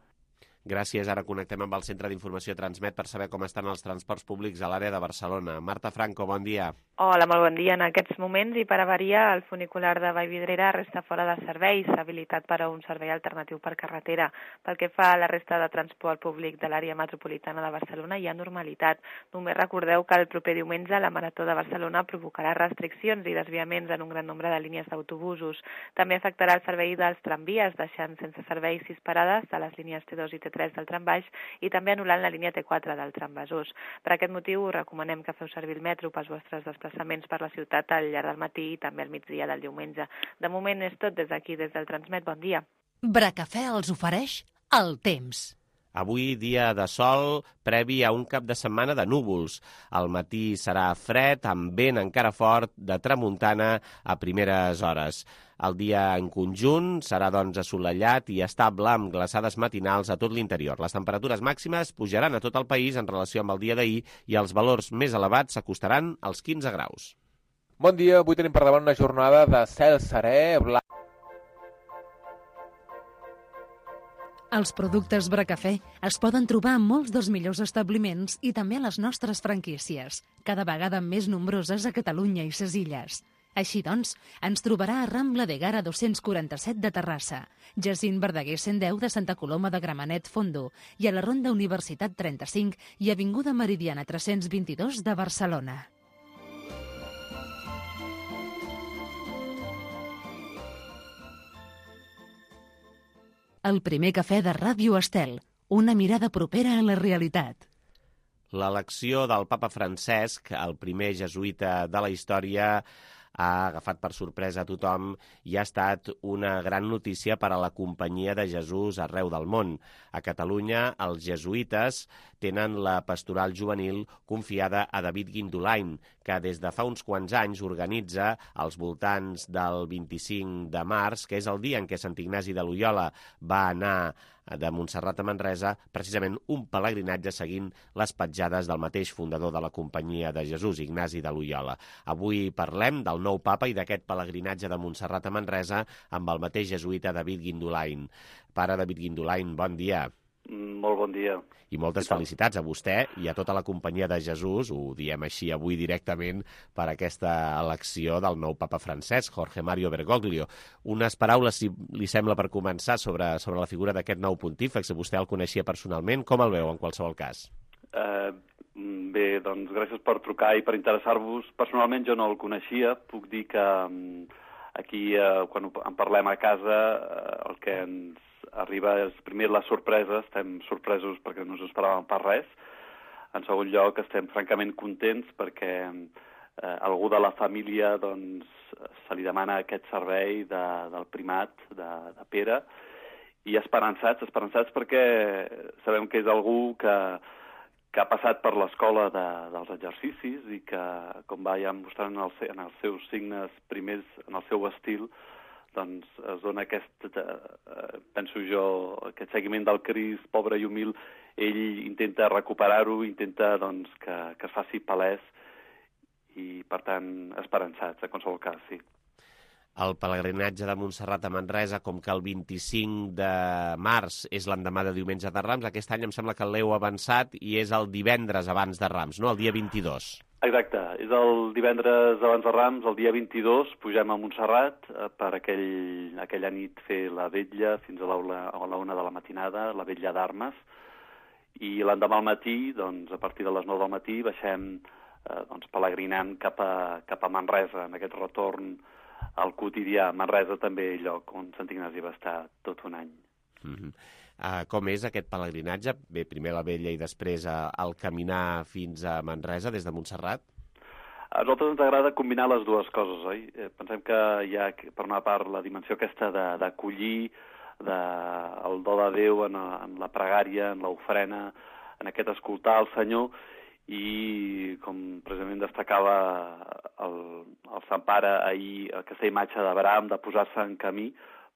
Gràcies. Ara connectem amb el Centre d'Informació Transmet per saber com estan els transports públics a l'àrea de Barcelona. Marta Franco, bon dia. Hola, molt bon dia. En aquests moments i per avaria, el funicular de Vallvidrera resta fora de servei, s'ha habilitat per a un servei alternatiu per carretera. Pel que fa a la resta de transport públic de l'àrea metropolitana de Barcelona, hi ha normalitat. Només recordeu que el proper diumenge la Marató de Barcelona provocarà restriccions i desviaments en un gran nombre de línies d'autobusos. També afectarà el servei dels tramvies, deixant sense servei 6 parades de les línies T2 i T3 del tram baix i també anul·lant la línia T4 del tram Besòs. Per aquest motiu us recomanem que feu servir el metro pels vostres desplaçaments per la ciutat al llarg del matí i també al migdia del diumenge. De moment és tot des d'aquí, des del Transmet. Bon dia. Bracafè els ofereix el temps. Avui dia de sol, previ a un cap de setmana de núvols. Al matí serà fred, amb vent encara fort de tramuntana a primeres hores. El dia en conjunt serà doncs assolellat i estable amb glaçades matinals a tot l'interior. Les temperatures màximes pujaran a tot el país en relació amb el dia d'ahir i els valors més elevats s'acostaran als 15 graus. Bon dia, avui tenim per davant una jornada de cel serè, blanc. Els productes Bracafè es poden trobar en molts dels millors establiments i també a les nostres franquícies, cada vegada més nombroses a Catalunya i ses illes. Així doncs, ens trobarà a Rambla de Gara 247 de Terrassa, Jacint Verdaguer 110 de Santa Coloma de Gramenet Fondo i a la Ronda Universitat 35 i Avinguda Meridiana 322 de Barcelona. El primer cafè de Ràdio Estel, una mirada propera a la realitat. L'elecció del papa Francesc, el primer jesuïta de la història, ha agafat per sorpresa a tothom i ha estat una gran notícia per a la companyia de Jesús arreu del món. A Catalunya, els jesuïtes tenen la pastoral juvenil confiada a David Guindolain, que des de fa uns quants anys organitza als voltants del 25 de març, que és el dia en què Sant Ignasi de Loiola va anar de Montserrat a Manresa, precisament un pelegrinatge seguint les petjades del mateix fundador de la Companyia de Jesús, Ignasi de Loiola. Avui parlem del nou papa i d'aquest pelegrinatge de Montserrat a Manresa amb el mateix jesuïta David Guindolain. Pare David Guindolain, bon dia. Molt bon dia. I moltes felicitats a vostè i a tota la Companyia de Jesús, ho diem així avui directament, per aquesta elecció del nou papa Francesc, Jorge Mario Bergoglio. Unes paraules, si li sembla, per començar sobre la figura d'aquest nou pontífex. Vostè el coneixia personalment. Com el veu, en qualsevol cas? Bé, doncs gràcies per trucar i per interessar-vos. Personalment jo no el coneixia. Puc dir que aquí, quan en parlem a casa, el que ens arriba és, primer, la sorpresa. Estem sorpresos perquè no ens esperàvem per res. En segon lloc, estem francament contents perquè algú de la família doncs, se li demana aquest servei del primat de Pere, i esperançats perquè sabem que és algú que ha passat per l'escola dels exercicis i que, com va ja mostrant en els seus signes primers, en el seu estil, doncs es dona penso jo, aquest seguiment del Crist, pobre i humil. Ell intenta recuperar-ho, intenta doncs, que es faci palès i, per tant, esperançats, en qualsevol cas, sí. El pelegrinatge de Montserrat a Manresa, com que el 25 de març és l'endemà de Diumenge de Rams, aquest any em sembla que l'heu avançat i és el divendres abans de Rams, no? El dia 22. Exacte, és el divendres abans de Rams, el dia 22, pugem a Montserrat per aquella nit fer la vetlla fins a la 1 de la matinada, la vetlla d'armes, i l'endemà al matí, doncs, a partir de les 9 del matí, baixem pelegrinant cap a Manresa, en aquest retorn al quotidià. Manresa també lloc on Sant Ignasi va estar tot un any. Com és aquest pelegrinatge? Bé, primer la vetlla i després el caminar fins a Manresa des de Montserrat? A nosaltres ens agrada combinar les dues coses, oi? Pensem que hi ha, per una part, la dimensió aquesta d'acollir el do de Déu en la pregària, en l'ofrena, en aquest escoltar el Senyor, i com precisament destacava el Sant Pare ahir, aquesta imatge d'Abraham de posar-se en camí,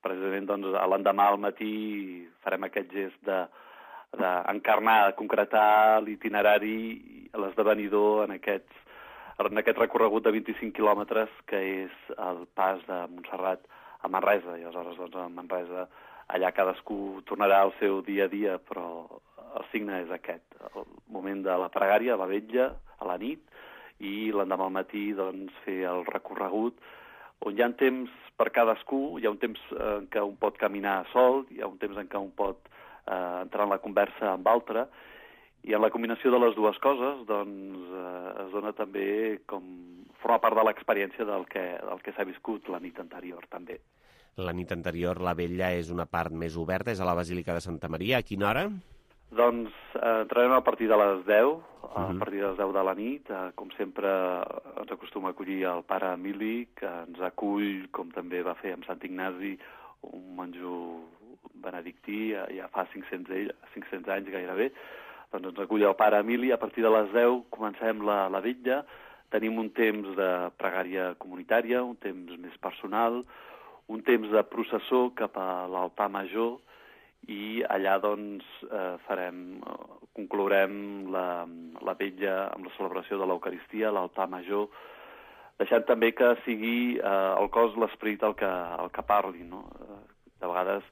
precisament doncs, l'endemà al matí farem aquest gest d'encarnar, de concretar l'itinerari, l'esdevenidor en aquest recorregut de 25 quilòmetres que és el pas de Montserrat a Manresa. I aleshores doncs, a Manresa allà cadascú tornarà al seu dia a dia, però el signe és aquest, el moment de la pregària, la vetlla, a la nit, i l'endemà al matí doncs, fer el recorregut, on hi ha temps per cadascú, hi ha un temps en què un pot caminar sol, hi ha un temps en què un pot entrar en la conversa amb altre, i en la combinació de les dues coses doncs, es dona també com forma part de l'experiència del que s'ha viscut la nit anterior també. La nit anterior la vetlla és una part més oberta, és a la Basílica de Santa Maria. A quina hora? Doncs entrarem a partir de les 10, a partir de les 10 de la nit. Com sempre ens acostuma a acollir el pare Emili, que ens acull, com també va fer amb Sant Ignasi, un monjo benedictí, ja fa 500 anys gairebé. Doncs ens acull el pare Emili. A partir de les 10 comencem la vetlla. Tenim un temps de pregària comunitària, un temps més personal, un temps de processó cap a l'altar major, i allà doncs conclourem la vetlla amb la celebració de l'Eucaristia, l'altar major, deixant també que sigui el cos, l'esperit el que parli, no? De vegades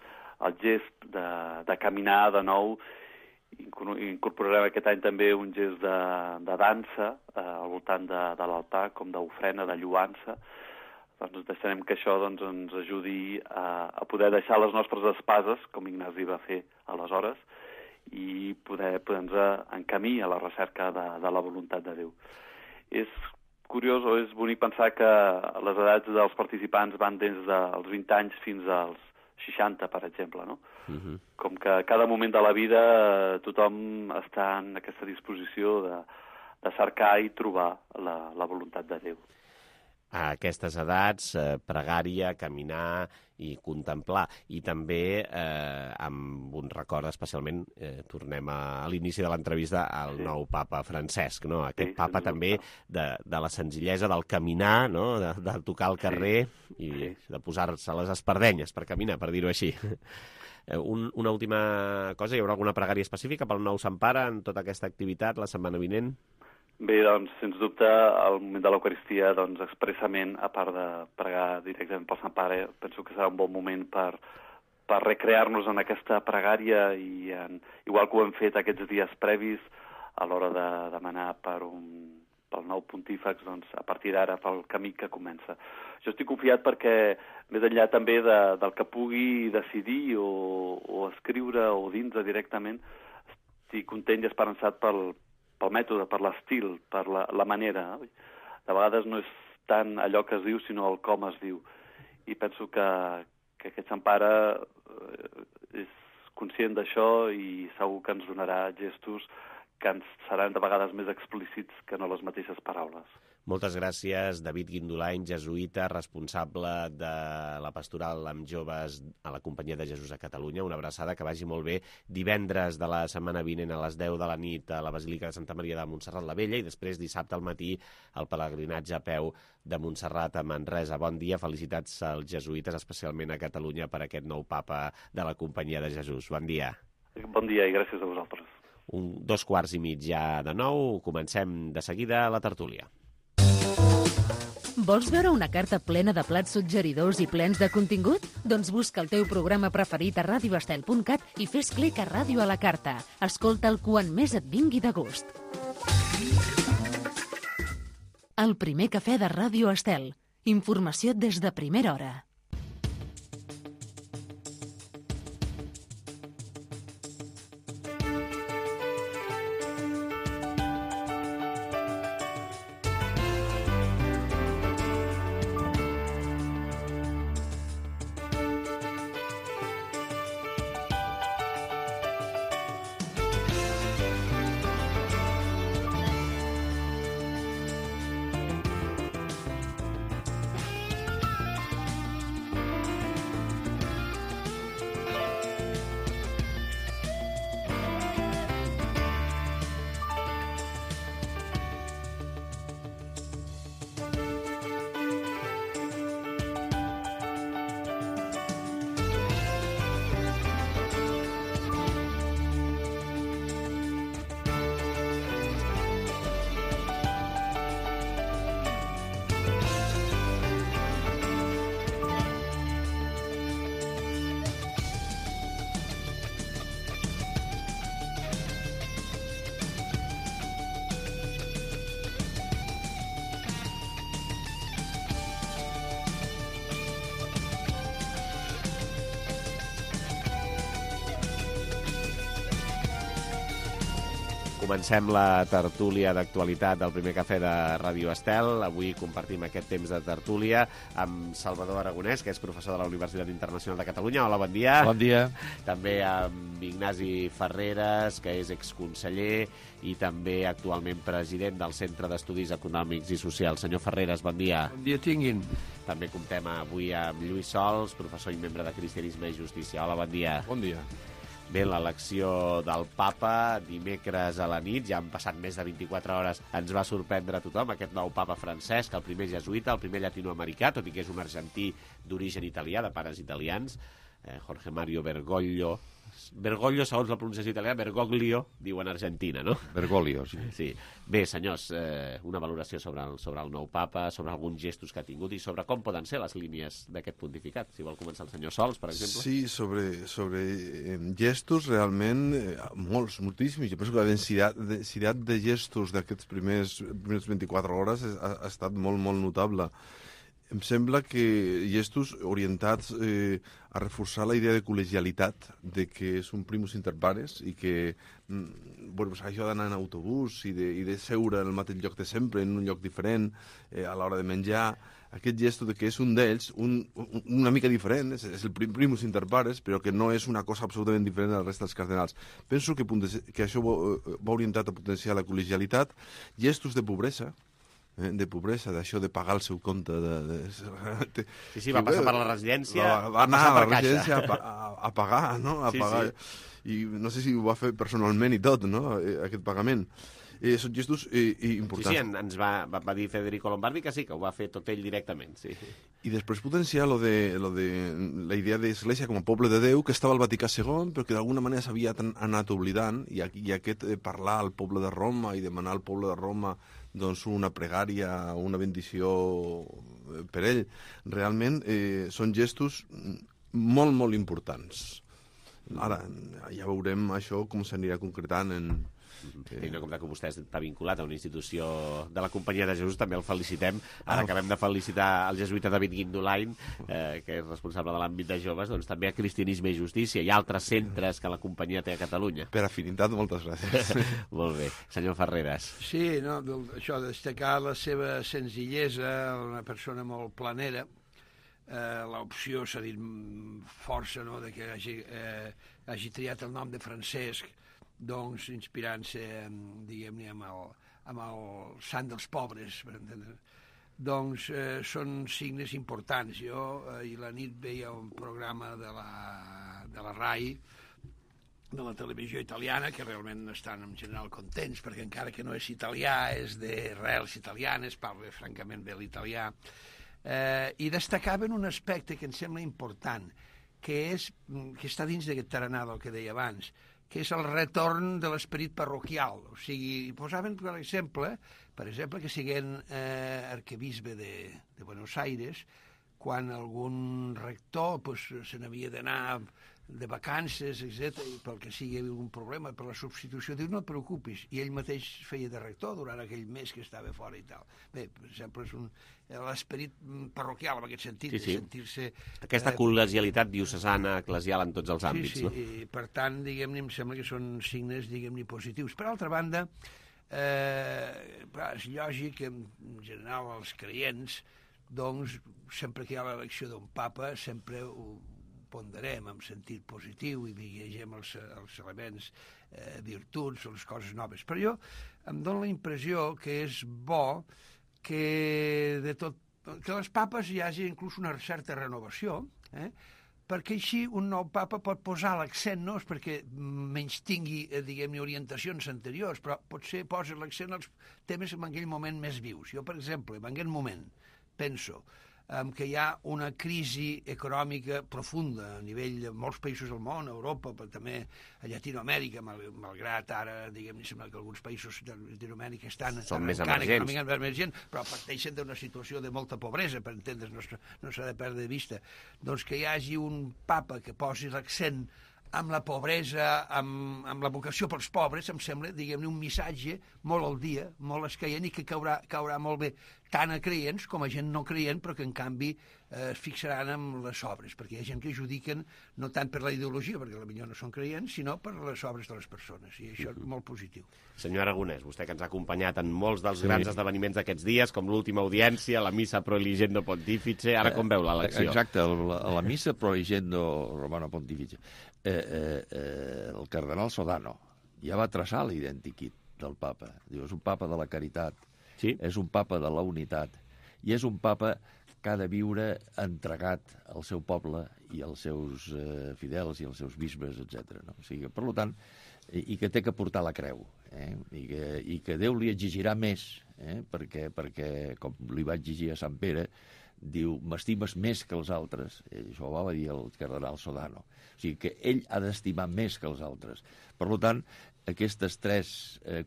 el gest de caminar de nou, incorporarem aquest any també un gest de dansa al voltant de l'altar, com d'ofrena, de lluança. Doncs deixarem que això doncs, ens ajudi a poder deixar les nostres espases, com Ignasi va fer aleshores, i poder-nos en camí a la recerca de la voluntat de Déu. És curiós o és bonic pensar que les edats dels participants van des dels 20 anys fins als 60, per exemple, no? Com que a cada moment de la vida tothom està en aquesta disposició de cercar i trobar la voluntat de Déu. A aquestes edats, pregària, caminar i contemplar. I també, amb un record especialment, tornem a l'inici de l'entrevista al nou papa Francesc, no? Aquest papa també de la senzillesa del caminar, no? De tocar el carrer i de posar-se les espardenyes per caminar, per dir-ho així. Una última cosa, hi haurà alguna pregària específica pel nou Sant Pare en tota aquesta activitat la setmana vinent? Bé, doncs, sens dubte, al moment de l'Eucaristia, doncs, expressament, a part de pregar directament pel Sant Pare, penso que serà un bon moment per recrear-nos en aquesta pregària, i igual que ho hem fet aquests dies previs, a l'hora de demanar pel nou pontífex, doncs, a partir d'ara, pel camí que comença. Jo estic confiat perquè, més enllà també del que pugui decidir o escriure o dins directament, estic content i esperançat pel mètode, per l'estil, per la manera. De vegades no és tant allò que es diu, sinó el com es diu. I penso que aquest Sant Pare és conscient d'això i segur que ens donarà gestos que ens seran de vegades més explícits que no les mateixes paraules. Moltes gràcies, David Guindolany, jesuïta, responsable de la pastoral amb joves a la Companyia de Jesús a Catalunya. Una abraçada, que vagi molt bé. Divendres de la setmana vinent a les 10 de la nit a la Basílica de Santa Maria de Montserrat la Vella, i després dissabte al matí el pelegrinatge a peu de Montserrat a Manresa. Bon dia, felicitats als jesuïtes, especialment a Catalunya, per aquest nou papa de la Companyia de Jesús. Bon dia. Bon dia i gràcies a vosaltres. 2:15 ja de nou. Comencem de seguida la tertúlia. Vols veure una carta plena de plats suggeridors i plens de contingut? Doncs busca el teu programa preferit a radioestel.cat i fes clic a Ràdio a la Carta. Escolta'l quan més et vingui de gust. El primer cafè de Ràdio Estel. Informació des de primera hora. Comencem la tertúlia d'actualitat del primer cafè de Ràdio Estel. Avui compartim aquest temps de tertúlia amb Salvador Aragonès, que és professor de la Universitat Internacional de Catalunya. Hola, bon dia. Bon dia. També amb Ignasi Ferreres, que és exconseller i també actualment president del Centre d'Estudis Econòmics i Socials. Senyor Ferreres, bon dia. Bon dia tinguin. També comptem avui amb Lluís Sols, professor i membre de Cristianisme i Justícia. Hola, bon dia. Bon dia. Bé, l'elecció del papa dimecres a la nit, ja han passat més de 24 hores, ens va sorprendre a tothom, aquest nou papa Francesc, el primer jesuïta, el primer llatinoamericà, tot i que és un argentí d'origen italià, de pares italians, Jorge Mario Bergoglio. Bergoglio, segons la pronunciació italiana, Bergoglio, diuen Argentina, no? Bergoglio, sí. Sí. Bé, senyors, una valoració sobre el nou papa, sobre alguns gestos que ha tingut i sobre com poden ser les línies d'aquest pontificat. Si vol començar el senyor Sols, per exemple. Sí, sobre gestos, realment, moltíssims. Jo penso que la densitat de gestos d'aquests primers 24 hores ha estat molt, molt notable. Em sembla que gestos orientats a reforçar la idea de col·legialitat, de que és un primus inter pares i que això d'anar en autobús i de seure en el mateix lloc de sempre, en un lloc diferent, a l'hora de menjar, aquest gesto de que és un d'ells, una mica diferent, és el primus inter pares, però que no és una cosa absolutament diferent de la resta dels cardenals. Penso que això va orientat a potenciar la col·legialitat, gestos de pobresa, d'això de pagar el seu compte. Sí, va passar per la residència, va anar a la residència a pagar, no? Pagar. I no sé si ho va fer personalment i tot, no? Aquest pagament. Són gestos importants. Sí, ens va dir Federico Lombardi que sí, que ho va fer tot ell directament, sí. I després potenciar lo de la idea d'Església com a poble de Déu, que estava al Vaticà II, però que d'alguna manera s'havia anat oblidant, i aquest parlar al poble de Roma i demanar al poble de Roma doncs una pregària, una bendició per ell, realment són gestos molt, molt importants. Ara, ja veurem això com s'anirà concretant en... Tenint en compte que vostè està vinculat a una institució de la Companyia de Jesús, també el felicitem. Ara acabem de felicitar el jesuïta David Guindolain, que és responsable de l'àmbit de joves, doncs també a Cristianisme i Justícia i altres centres que la Companyia té a Catalunya. Per afinitat, moltes gràcies. Molt bé. Senyor Ferreres. Sí, no, això, destacar la seva senzillesa, una persona molt planera. L'opció s'ha dit força, no?, de que hagi triat el nom de Francesc, doncs inspirant-se, diguem-ne, amb el sant dels pobres, per entendre. Doncs són signes importants. Jo ahir la nit veia un programa de la RAI, de la televisió italiana, que realment estan en general contents, perquè encara que no és italià, és d'arrels italianes, parla francament bé l'italià, i destacaven un aspecte que em sembla important, que està dins d'aquest tarannà del que deia abans, que és el retorn de l'esperit parroquial. O sigui, posaven, per exemple, que siguent arquebisbe de Buenos Aires, quan algun rector se n'havia d'anar de vacances, etc., i pel que sigui hi havia algun problema per la substitució, diu, no et preocupis, i ell mateix feia de rector durant aquell mes que estava fora i tal. Bé, per exemple, és l'esperit parroquial en aquest sentit, de sentir-se... Aquesta col·legialitat diocesana, eclesial en tots els àmbits, no? I per tant, diguem-ne, em sembla que són signes, diguem-ne, positius. Per altra banda, és lògic que, en general, els creients, doncs, sempre que hi ha l'elecció d'un papa, sempre ho ponderem en sentit positiu i vigegem els elements, virtuts o les coses noves. Però jo em dono la impressió que és bo que les papes hi hagi inclús una certa renovació, perquè així un nou papa pot posar l'accent, no és perquè menys tingui, diguem-ne, orientacions anteriors, però potser posa l'accent als temes en aquell moment més vius. Jo, per exemple, en aquest moment penso que hi ha una crisi econòmica profunda a nivell de molts països del món, a Europa, però també a Llatinoamèrica, malgrat ara, diguem-ne, sembla que alguns països de Llatinoamèrica estan econòmicament emergents, però parteixen d'una situació de molta pobresa, per entendre's, no s'ha de perdre de vista. Doncs que hi hagi un papa que posi l'accent amb la pobresa, amb la vocació pels pobres, em sembla, diguem-ne, un missatge molt al dia, molt escaient i que caurà molt bé tant a creients com a gent no creient, però que en canvi es fixaran en les obres, perquè hi ha gent que judiquen no tant per la ideologia, perquè potser no són creients, sinó per les obres de les persones, i això és molt positiu. Senyor Aragonès, vostè que ens ha acompanyat en molts dels grans esdeveniments d'aquests dies, com l'última audiència, la missa Pro Eligendo Pontifice, ara com veu l'elecció? Exacte, la missa Pro Eligendo Romano Pontifice. El cardenal Sodano ja va traçar l'identikit del papa. Diu, és un papa de la caritat, és un papa de la unitat, i és un papa que ha de viure entregat al seu poble i als seus fidels i als seus bisbes, etc. No? O sigui, per tant, i que té que portar la creu, i que Déu li exigirà més, perquè, com li va exigir a Sant Pere, diu, m'estimes més que els altres. Això ho va dir el cardenal Sodano. O sigui, que ell ha d'estimar més que els altres. Per tant, aquestes tres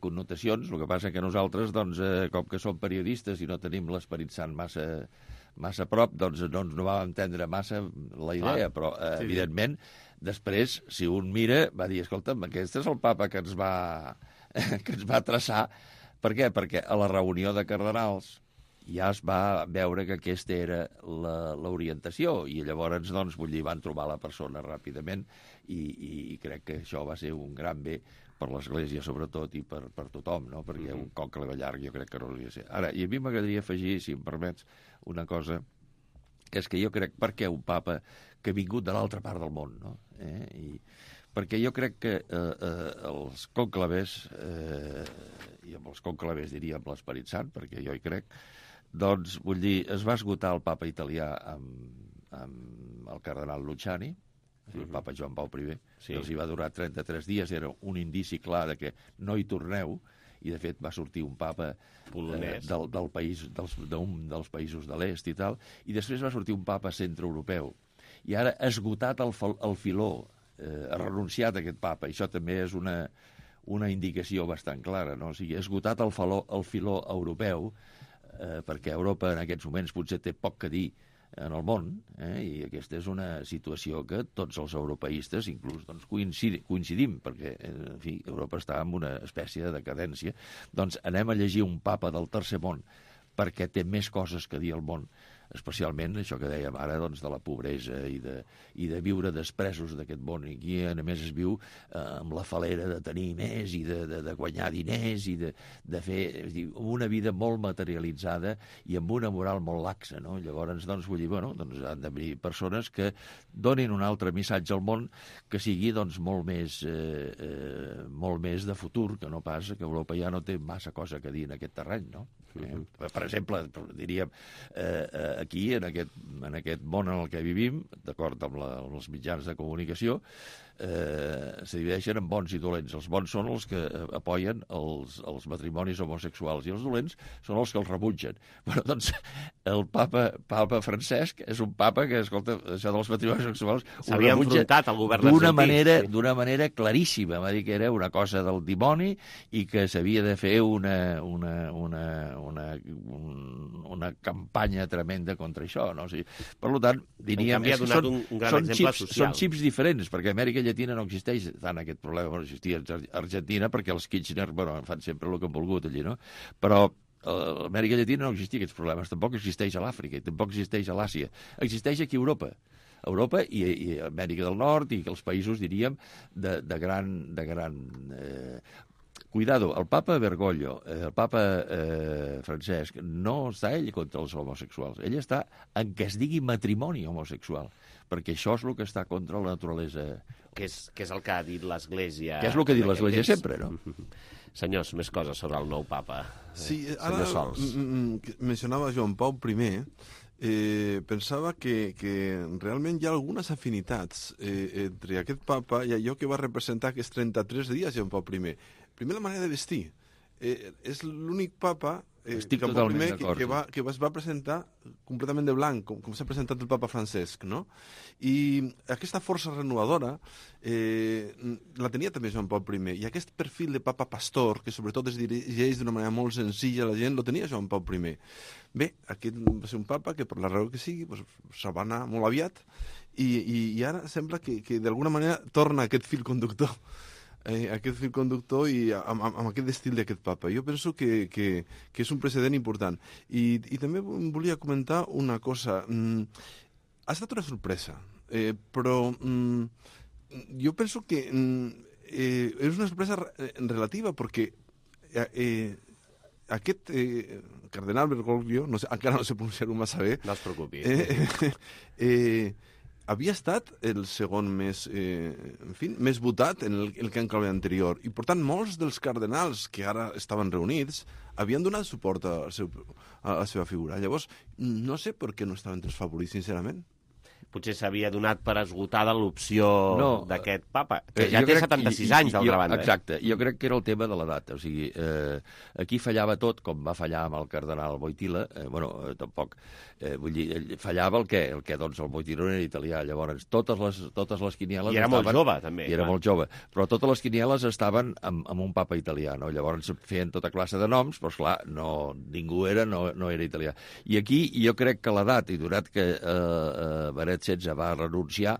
connotacions, el que passa que nosaltres, doncs, com que som periodistes i no tenim l'Esperit Sant massa a prop, doncs no ens vam entendre massa la idea, però, evidentment, després, si un mira, va dir, escolta'm, aquest és el papa que ens va traçar. Per què? Perquè a la reunió de cardenals ja es va veure que aquesta era l'orientació, i llavors, doncs, van trobar la persona ràpidament, i crec que això va ser un gran bé per l'Església, sobretot, i per tothom, no? Perquè un cocle de llarg jo crec que no hauria de ser. Ara, i a mi m'agradaria afegir, si em permets, una cosa, que és que jo crec, per què un papa que ha vingut de l'altra part del món, no? Perquè jo crec que els conclaves, i amb els conclaves diria amb l'Esperit Sant, perquè jo hi crec, doncs, vull dir, es va esgotar el papa italià amb el cardenal Luciani, el papa Joan Pau I, els hi va durar 33 dies, era un indici clar de que no hi torneu, i de fet va sortir un papa del país, d'un dels països de l'est i tal, i després va sortir un papa centroeuropeu. I ara ha esgotat el filó, ha renunciat a aquest papa, i això també és una indicació bastant clara, no? O sigui, ha esgotat el filó europeu, perquè Europa en aquests moments potser té poc que dir en el món, i aquesta és una situació que tots els europeistes inclús doncs, coincidim, perquè en fi, Europa està en una espècie de decadència. Doncs anem a llegir un papa del tercer món perquè té més coses que dir al món, especialment això que dèiem ara, doncs, de la pobresa i de viure despresos d'aquest món. I aquí, a més, es viu amb la falera de tenir més i de guanyar diners i de fer una vida molt materialitzada i amb una moral molt laxa, no? Llavors, doncs, vull dir, bueno, doncs han d'haver persones que donin un altre missatge al món que sigui, doncs, molt més de futur, que no pas que Europa ja no té massa cosa que dir en aquest terreny, no? Per exemple, diríem, aquí, en aquest món en el que vivim, d'acord amb els mitjans de comunicació, se divideixen en bons i dolents. Els bons són els que apoyen els matrimonis homosexuals i els dolents són els que els rebutgen. Bueno, doncs, el papa Francesc és un papa que, escolta, això dels matrimonis sexuals s'havia enfrontat al govern argentí. D'una manera claríssima. Va dir que era una cosa del dimoni i que s'havia de fer una campanya tremenda contra això. No? O sigui, per tant, diríem que són xips diferents, perquè a Amèrica Llatina no existeix tant aquest problema. Bueno, existia a Argentina perquè els Kirchner fan sempre el que han volgut allí, no? Però a l'Amèrica Llatina no existia aquests problemes, tampoc existeix a l'Àfrica, tampoc existeix a l'Àsia. Existeix aquí a Europa i a Amèrica del Nord i els països, diríem, de gran cuidado, el papa Bergoglio, el papa Francesc, no està ell contra els homosexuals, ell està en què es digui matrimoni homosexual, perquè això és el que està contra la naturalesa. Que és el que ha dit l'Església. Que és el que ha dit l'Església sempre, no? Senyors, més coses sobre el nou papa. Sí, ara mencionava Joan Pau I, pensava que realment hi ha algunes afinitats entre aquest papa i allò que va representar aquests 33 dies Joan Pau I. Primer, la manera de vestir. És l'únic papa que es va presentar completament de blanc, com s'ha presentat el papa Francesc, no? I aquesta força renovadora la tenia també Joan Pau I, i aquest perfil de papa pastor, que sobretot es dirigeix d'una manera molt senzilla a la gent, lo tenia Joan Pau I. Bé, aquest va ser un papa que per la raó que sigui se'n va anar molt aviat i ara sembla que d'alguna manera torna aquest fil conductor i amb aquest estil d'aquest papa. Jo penso que és un precedent important. I també volia comentar una cosa. Ha estat una sorpresa, però jo penso que és una sorpresa relativa, perquè aquest cardenal Bergoglio, encara no sé pronunciar-ho massa bé, no es preocupi, havia estat el segon més votat en el conclave anterior. I, per tant, molts dels cardenals que ara estaven reunits havien donat suport a la seva figura. Llavors, no sé per què no estaven els favorits, sincerament. Potser s'havia donat per esgotada l'opció d'aquest papa, que ja té 76 anys, d'altra banda. Exacte, jo crec que era el tema de l'edat. O sigui, aquí fallava tot, com va fallar amb el cardenal Wojtyla. Tampoc. Vull dir, fallava el què? Doncs el Wojtyla era italià. Llavors, totes les quinieles... I era molt jove, també. I era molt jove. Però totes les quinieles estaven amb un papa italià, no? Llavors feien tota classe de noms, però, esclar, ningú no era italià. I aquí jo crec que l'edat, i donat que Benet XVI va renunciar,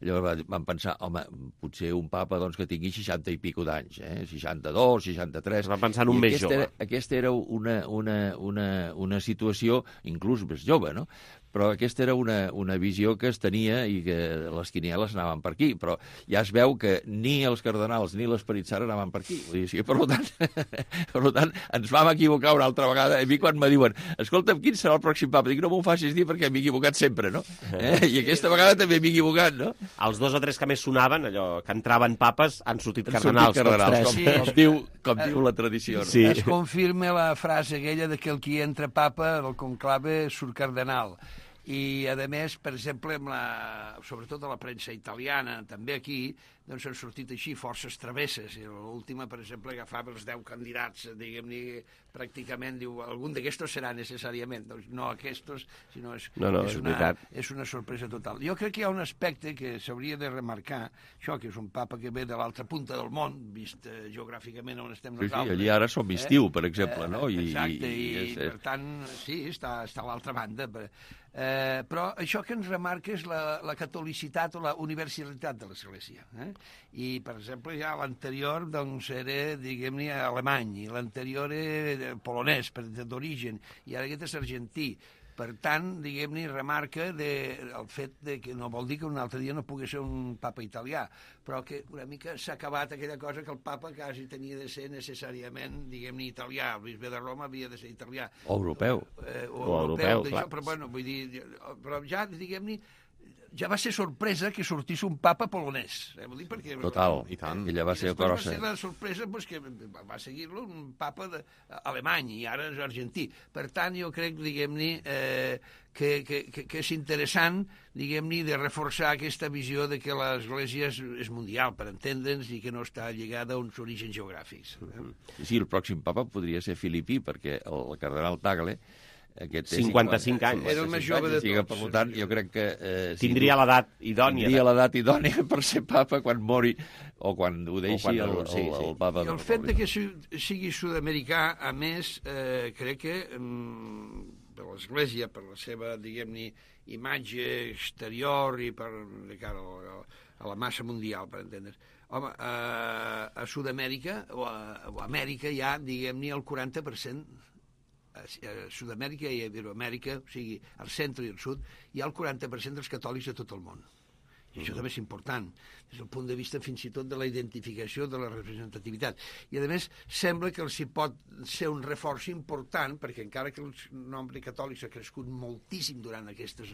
llavors van pensar, home, potser un papa que tingui 60 i pico d'anys, 62, 63... Va pensar en un més jove. Aquesta era una situació inclús més jove, no? Però aquesta era una visió que es tenia i que les quinieles anaven per aquí, però ja es veu que ni els cardenals ni l'Esperit Sant anaven per aquí. Vull dir, per tant, ens vam equivocar una altra vegada. A mi quan me diuen, escolta'm, quin serà el pròxim papa? Dic, no m'ho facis dir perquè m'he equivocat sempre, no? I aquesta vegada també m'he equivocat, no? Els 2 o 3 que més sonaven, allò que entraven papes, han sortit cardenals. Com diu la tradició. Sí. Es confirma la frase aquella de que el qui entra papa, el conclave, surt cardenal. I, a més, per exemple, sobretot a la premsa italiana, també aquí, doncs han sortit així forces travesses. I l'última, per exemple, agafava els 10 candidats, diguem-ne, pràcticament, diu, algun d'aquestos serà necessàriament. Doncs no aquestos, sinó és una sorpresa total. Jo crec que hi ha un aspecte que s'hauria de remarcar, això, que és un papa que ve de l'altra punta del món, vist geogràficament on estem nosaltres. Sí, allí ara som estiu, per exemple, no? Exacte, i per tant, sí, està a l'altra banda. Però això que ens remarca és la catolicitat o la universalitat de l'Església. I, per exemple, ja l'anterior doncs, era, diguem-ne, alemany, i l'anterior era polonès, d'origen, i ara aquest és argentí. Per tant, diguem-ne, remarca el fet que no vol dir que un altre dia no pugui ser un papa italià, però que una mica s'ha acabat aquella cosa que el papa quasi tenia de ser necessàriament, diguem-ne, italià. El bisbe de Roma havia de ser italià. O europeu. O europeu, clar. Però, bueno, vull dir, però ja, diguem-ne, ja va ser sorpresa que sortís un papa polonès. Vull dir, perquè... Total, i tant. Ella va ser va ser la sorpresa que va seguir-lo un papa alemany i ara és argentí. Per tant, jo crec, diguem-ne, que és interessant, diguem-ne, de reforçar aquesta visió de que l'Església és mundial, per entendre'ns, i que no està lligada a uns orígens geogràfics. Sí, el pròxim papa podria ser filipí, perquè el cardenal Tagle Aquest 55 anys. Era el més jove de tots. Per tant, jo crec que... Tindria l'edat idònia. Tindria l'edat idònia per ser papa quan mori o quan ho deixi el papa. I el fet que sigui sud-americà, a més, crec que per l'Església, per la seva, diguem-ne, imatge exterior i de cara a la massa mundial, per entendre's. Home, a Sud-amèrica o a Amèrica hi ha, diguem-ne, el 40%, a Sud-amèrica i a Iberoamèrica, o sigui, al centre i al sud, hi ha el 40% dels catòlics de tot el món. I això també és important, des del punt de vista fins i tot de la identificació, de la representativitat. I, a més, sembla que els hi pot ser un reforç important, perquè encara que el nombre de catòlics ha crescut moltíssim durant aquestes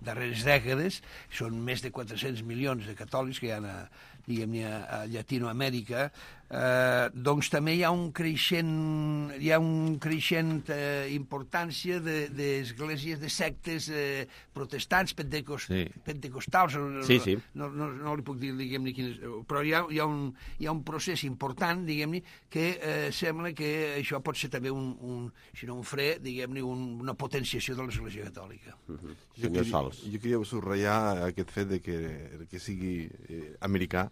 darreres dècades, són més de 400 milions de catòlics que hi ha a Llatinoamèrica, doncs també hi ha un creixent importància d'esglésies, de sectes protestants, pentecostals, no li puc dir, diguem-ne, quines, però hi ha un procés important, diguem-ne, que sembla que això pot ser també si no un fre, diguem-ne, una potenciació de l'Església Catòlica. Jo queria subratllar aquest fet de que sigui americà,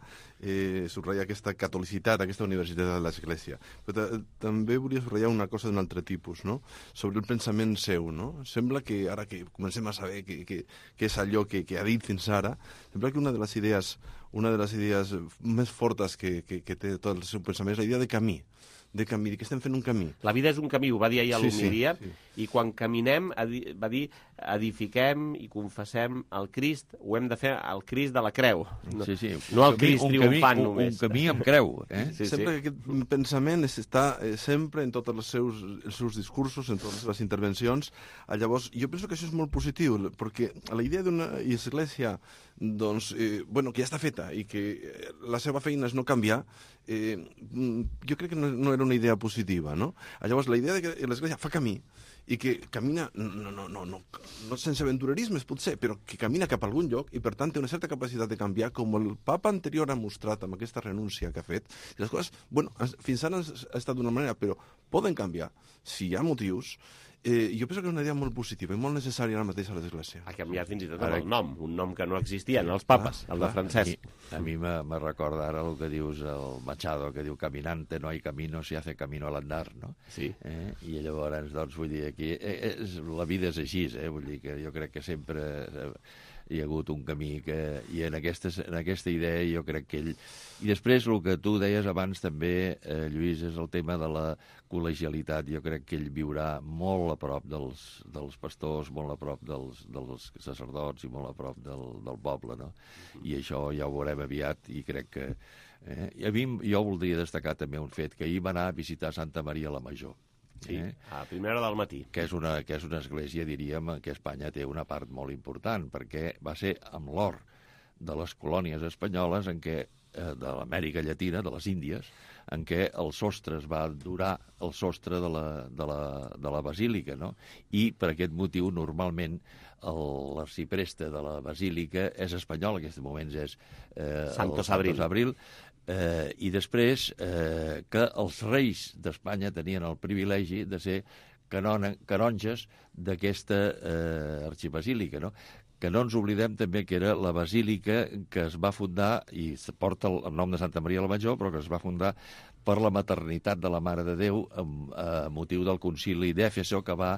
subratllar aquesta catolicitat, aquesta universitat de l'Església. Però també volia subratllar una cosa d'un altre tipus, no? Sobre el pensament seu, no? Sembla que, ara que comencem a saber què és allò que ha dit fins ara, sembla que una de les idees més fortes que té tot el seu pensament és la idea de camí, que estem fent un camí. La vida és un camí, ho va dir ahir a l'Homilia, i quan caminem, va dir, edifiquem i confessem el Crist, ho hem de fer al Crist de la creu, no el Crist triomfant només. Un camí amb creu. Sempre que aquest pensament està sempre en tots els seus discursos, en totes les seves intervencions. Llavors, jo penso que això és molt positiu, perquè la idea d'una església que ja està feta i que la seva feina és no canviar, jo crec que no era una idea positiva, no? Llavors, la idea de que l'Església fa camí i que camina, no sense aventurerismes potser, però que camina cap a algun lloc i per tant té una certa capacitat de canviar, com el papa anterior ha mostrat amb aquesta renúncia que ha fet. I les coses, fins ara ha estat d'una manera, però poden canviar si hi ha motius. Jo penso que és una idea molt positiva i molt necessària ara mateix a l'Església. Ha canviat fins i tot el nom, un nom que no existia en els papes, el de Francesc. A mi me recorda ara el que dius el Machado, que diu caminante no hay camino, se hace camino al andar, no? Sí. I llavors, doncs, vull dir, aquí la vida és així, vull dir que jo crec que sempre hi ha hagut un camí i en aquesta idea jo crec que ell... I després el que tu deies abans també, Lluís, és el tema de la col·legialitat. Jo crec que ell viurà molt a prop dels pastors, molt a prop dels sacerdots i molt a prop del poble, no? I això ja ho veurem aviat i crec que... Jo voldria destacar també un fet, que ahir va anar a visitar Santa Maria la Major. Sí, a primera hora del matí. Que és una església, diríem, que Espanya té una part molt important, perquè va ser amb l'or de les colònies espanyoles de l'Amèrica Llatina, de les Índies, en què el sostre es va durar el sostre de la basílica, no? I per aquest motiu, normalment, l'arxipreste de la basílica és espanyol, en aquests moments és Santos Abril. I després que els reis d'Espanya tenien el privilegi de ser canonges d'aquesta arxibasílica, no? Que no ens oblidem també que era la basílica que es va fundar, i porta el nom de Santa Maria la Major, però que es va fundar per la maternitat de la Mare de Déu a motiu del concili d'Éfeso, que va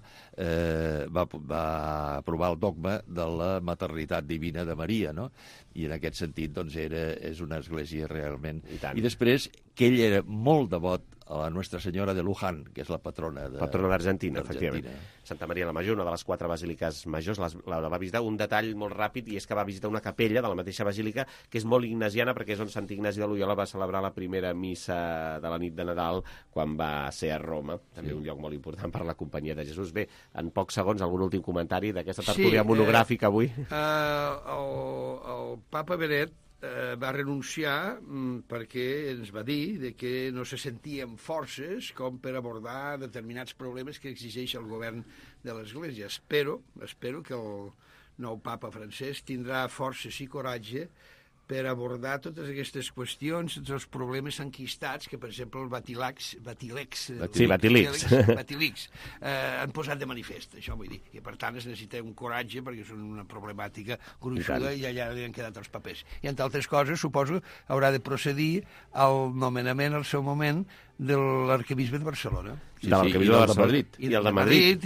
aprovar el dogma de la maternitat divina de Maria, no? I en aquest sentit, doncs, és una església realment... I després, que ell era molt devot a la Nostra Senyora de Luján, que és la patrona d'Argentina, efectivament. Santa Maria la Major, una de les 4 basíliques majors, la va visitar. Un detall molt ràpid, i és que va visitar una capella de la mateixa basílica, que és molt ignasiana, perquè és on Sant Ignasi de Loyola va celebrar la primera missa de la nit de Nadal quan va ser a Roma. També un lloc molt important per la Companyia de Jesús. Bé, en pocs segons, algun últim comentari d'aquesta tertúlia monogràfica avui? El papa Benet va renunciar perquè ens va dir que no se sentien forces com per abordar determinats problemes que exigeix el govern de l'Església. Espero que el nou papa francès tindrà forces i coratge per abordar totes aquestes qüestions, tots els problemes enquistats que, per exemple, el Batilix han posat de manifest, això vull dir. I, per tant, es necessita un coratge perquè és una problemàtica gruixuda i allà li han quedat els papers. I, entre altres coses, suposo, haurà de procedir al nomenament, al seu moment, de l'arquebisbe de Barcelona. De l'arquebisbe de Madrid. I el de Madrid.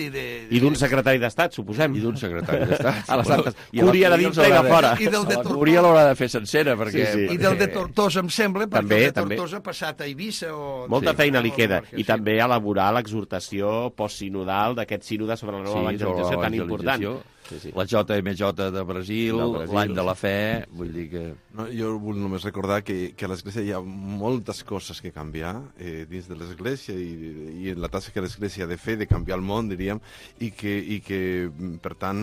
I d'un secretari d'Estat, suposem. I d'un secretari d'Estat. A la Santa Cúria de dintre i de fora. La Cúria l'haurà de fer sencera, perquè... I del de Tortosa, em sembla, perquè el de Tortosa ha passat a Eivissa o... Molta feina li queda. I també elaborar l'exhortació postsinodal d'aquest sínode sobre la nova evangelització tan important. La JMJ de Brasil, l'any de la fe, vull dir que... Jo vull només recordar que a l'Església hi ha moltes coses que canviar dins de l'Església i en la tasca que l'Església ha de fer, de canviar el món, diríem, i que per tant,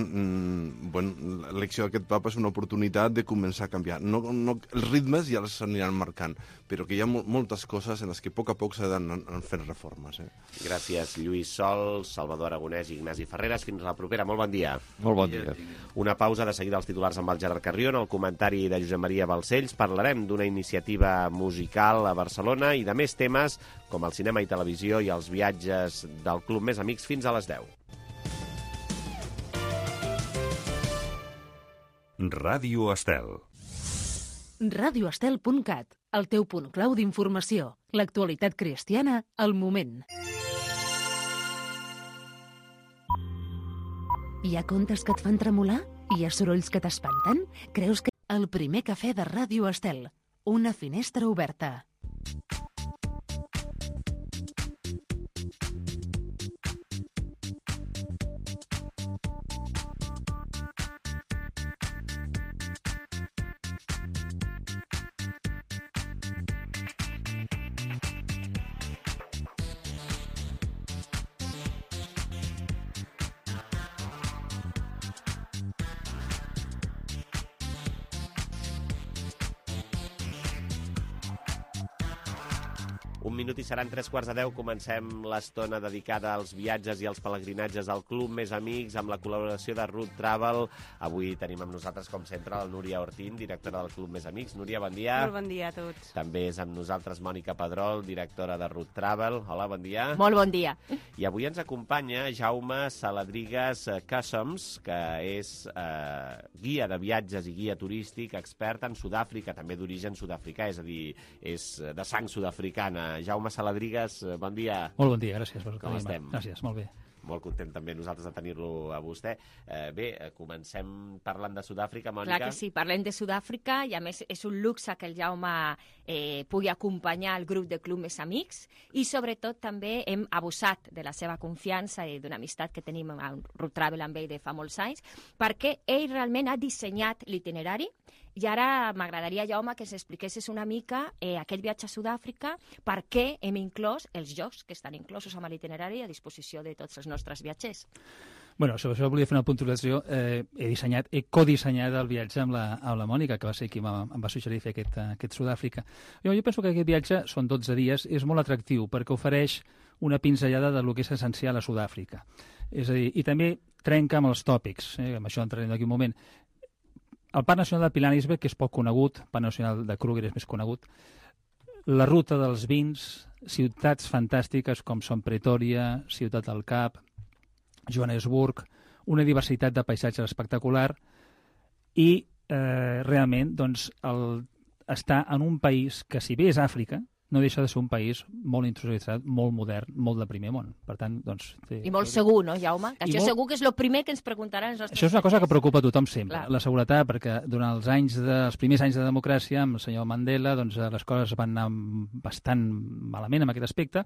l'elecció d'aquest papa és una oportunitat de començar a canviar. Els ritmes ja els aniran marcant, però que hi ha moltes coses en les que a poc s'ha d'anar fent reformes. Gràcies, Lluís Sol, Salvador Aragonès i Ignasi Ferreres. Fins la propera. Molt bon dia. Molt bon dia. Una pausa, de seguida els titulars amb el Gerard Carrió. En el comentari de Josep Maria Balcells parlarem d'una iniciativa musical a Barcelona i de més temes com el cinema i televisió i els viatges del Club Més Amics fins a les 10. Ràdio Estel. radioestel.cat, el teu punt clau d'informació. L'actualitat cristiana al moment. Hi ha contes que et fan tremolar? Hi ha sorolls que t'espanten? Creus que... El primer cafè de Ràdio Estel. Una finestra oberta. Un minut i seran 3:15. Comencem l'estona dedicada als viatges i als pelegrinatges al Club Més Amics amb la col·laboració de Root Travel. Avui tenim amb nosaltres, com sempre, la Núria Ortín, directora del Club Més Amics. Núria, bon dia. Molt bon dia a tots. També és amb nosaltres Mònica Pedrol, directora de Root Travel. Hola, bon dia. Molt bon dia. I avui ens acompanya Jaume Saladrigas Customs, que és guia de viatges i guia turístic, expert en Sud-àfrica, també d'origen sud-africà, és a dir, és de sang sud-africana. Jaume Saladrigas, bon dia. Molt bon dia, gràcies. Com estem? Gràcies, molt bé. Molt content també nosaltres de tenir-lo a vostè. Bé, comencem parlant de Sud-àfrica, Mònica. Clar que sí, parlem de Sud-àfrica i a més és un luxe que el Jaume pugui acompanyar el grup de Club Més Amics i sobretot també hem abusat de la seva confiança i d'una amistat que tenim amb Root Travel amb ell de fa molts anys perquè ell realment ha dissenyat l'itinerari. I ara m'agradaria, Jaume, que s'expliquessis una mica aquest viatge a Sud-àfrica, per què hem inclòs els jocs que estan inclosos amb l'itinerari a disposició de tots els nostres viatgers. Bueno, sobre això volia fer una puntualització. He codissenyat el viatge amb la Mònica, que va ser qui em va suggerir fer aquest Sud-àfrica. Jo penso que aquest viatge, són 12 dies, és molt atractiu perquè ofereix una pinzellada del que és essencial a Sud-àfrica. És a dir, i també trenca amb els tòpics, amb això entrarem d'aquí un moment. El Parc Nacional de Pilanesberg, que és poc conegut, el Parc Nacional de Kruger és més conegut, la ruta dels vins, ciutats fantàstiques com són Pretòria, Ciutat del Cap, Johannesburg, una diversitat de paisatges espectacular i realment doncs, estar en un país que, si bé és Àfrica, no deixa de ser un país molt industrialitzat, molt modern, molt de primer món. Per tant, doncs... I molt segur, no, Jaume? Que això segur que és el primer que ens preguntaran els nostres... Això és una cosa que preocupa a tothom sempre, la seguretat, perquè durant els primers anys de democràcia, amb el senyor Mandela, doncs les coses van anar bastant malament en aquest aspecte,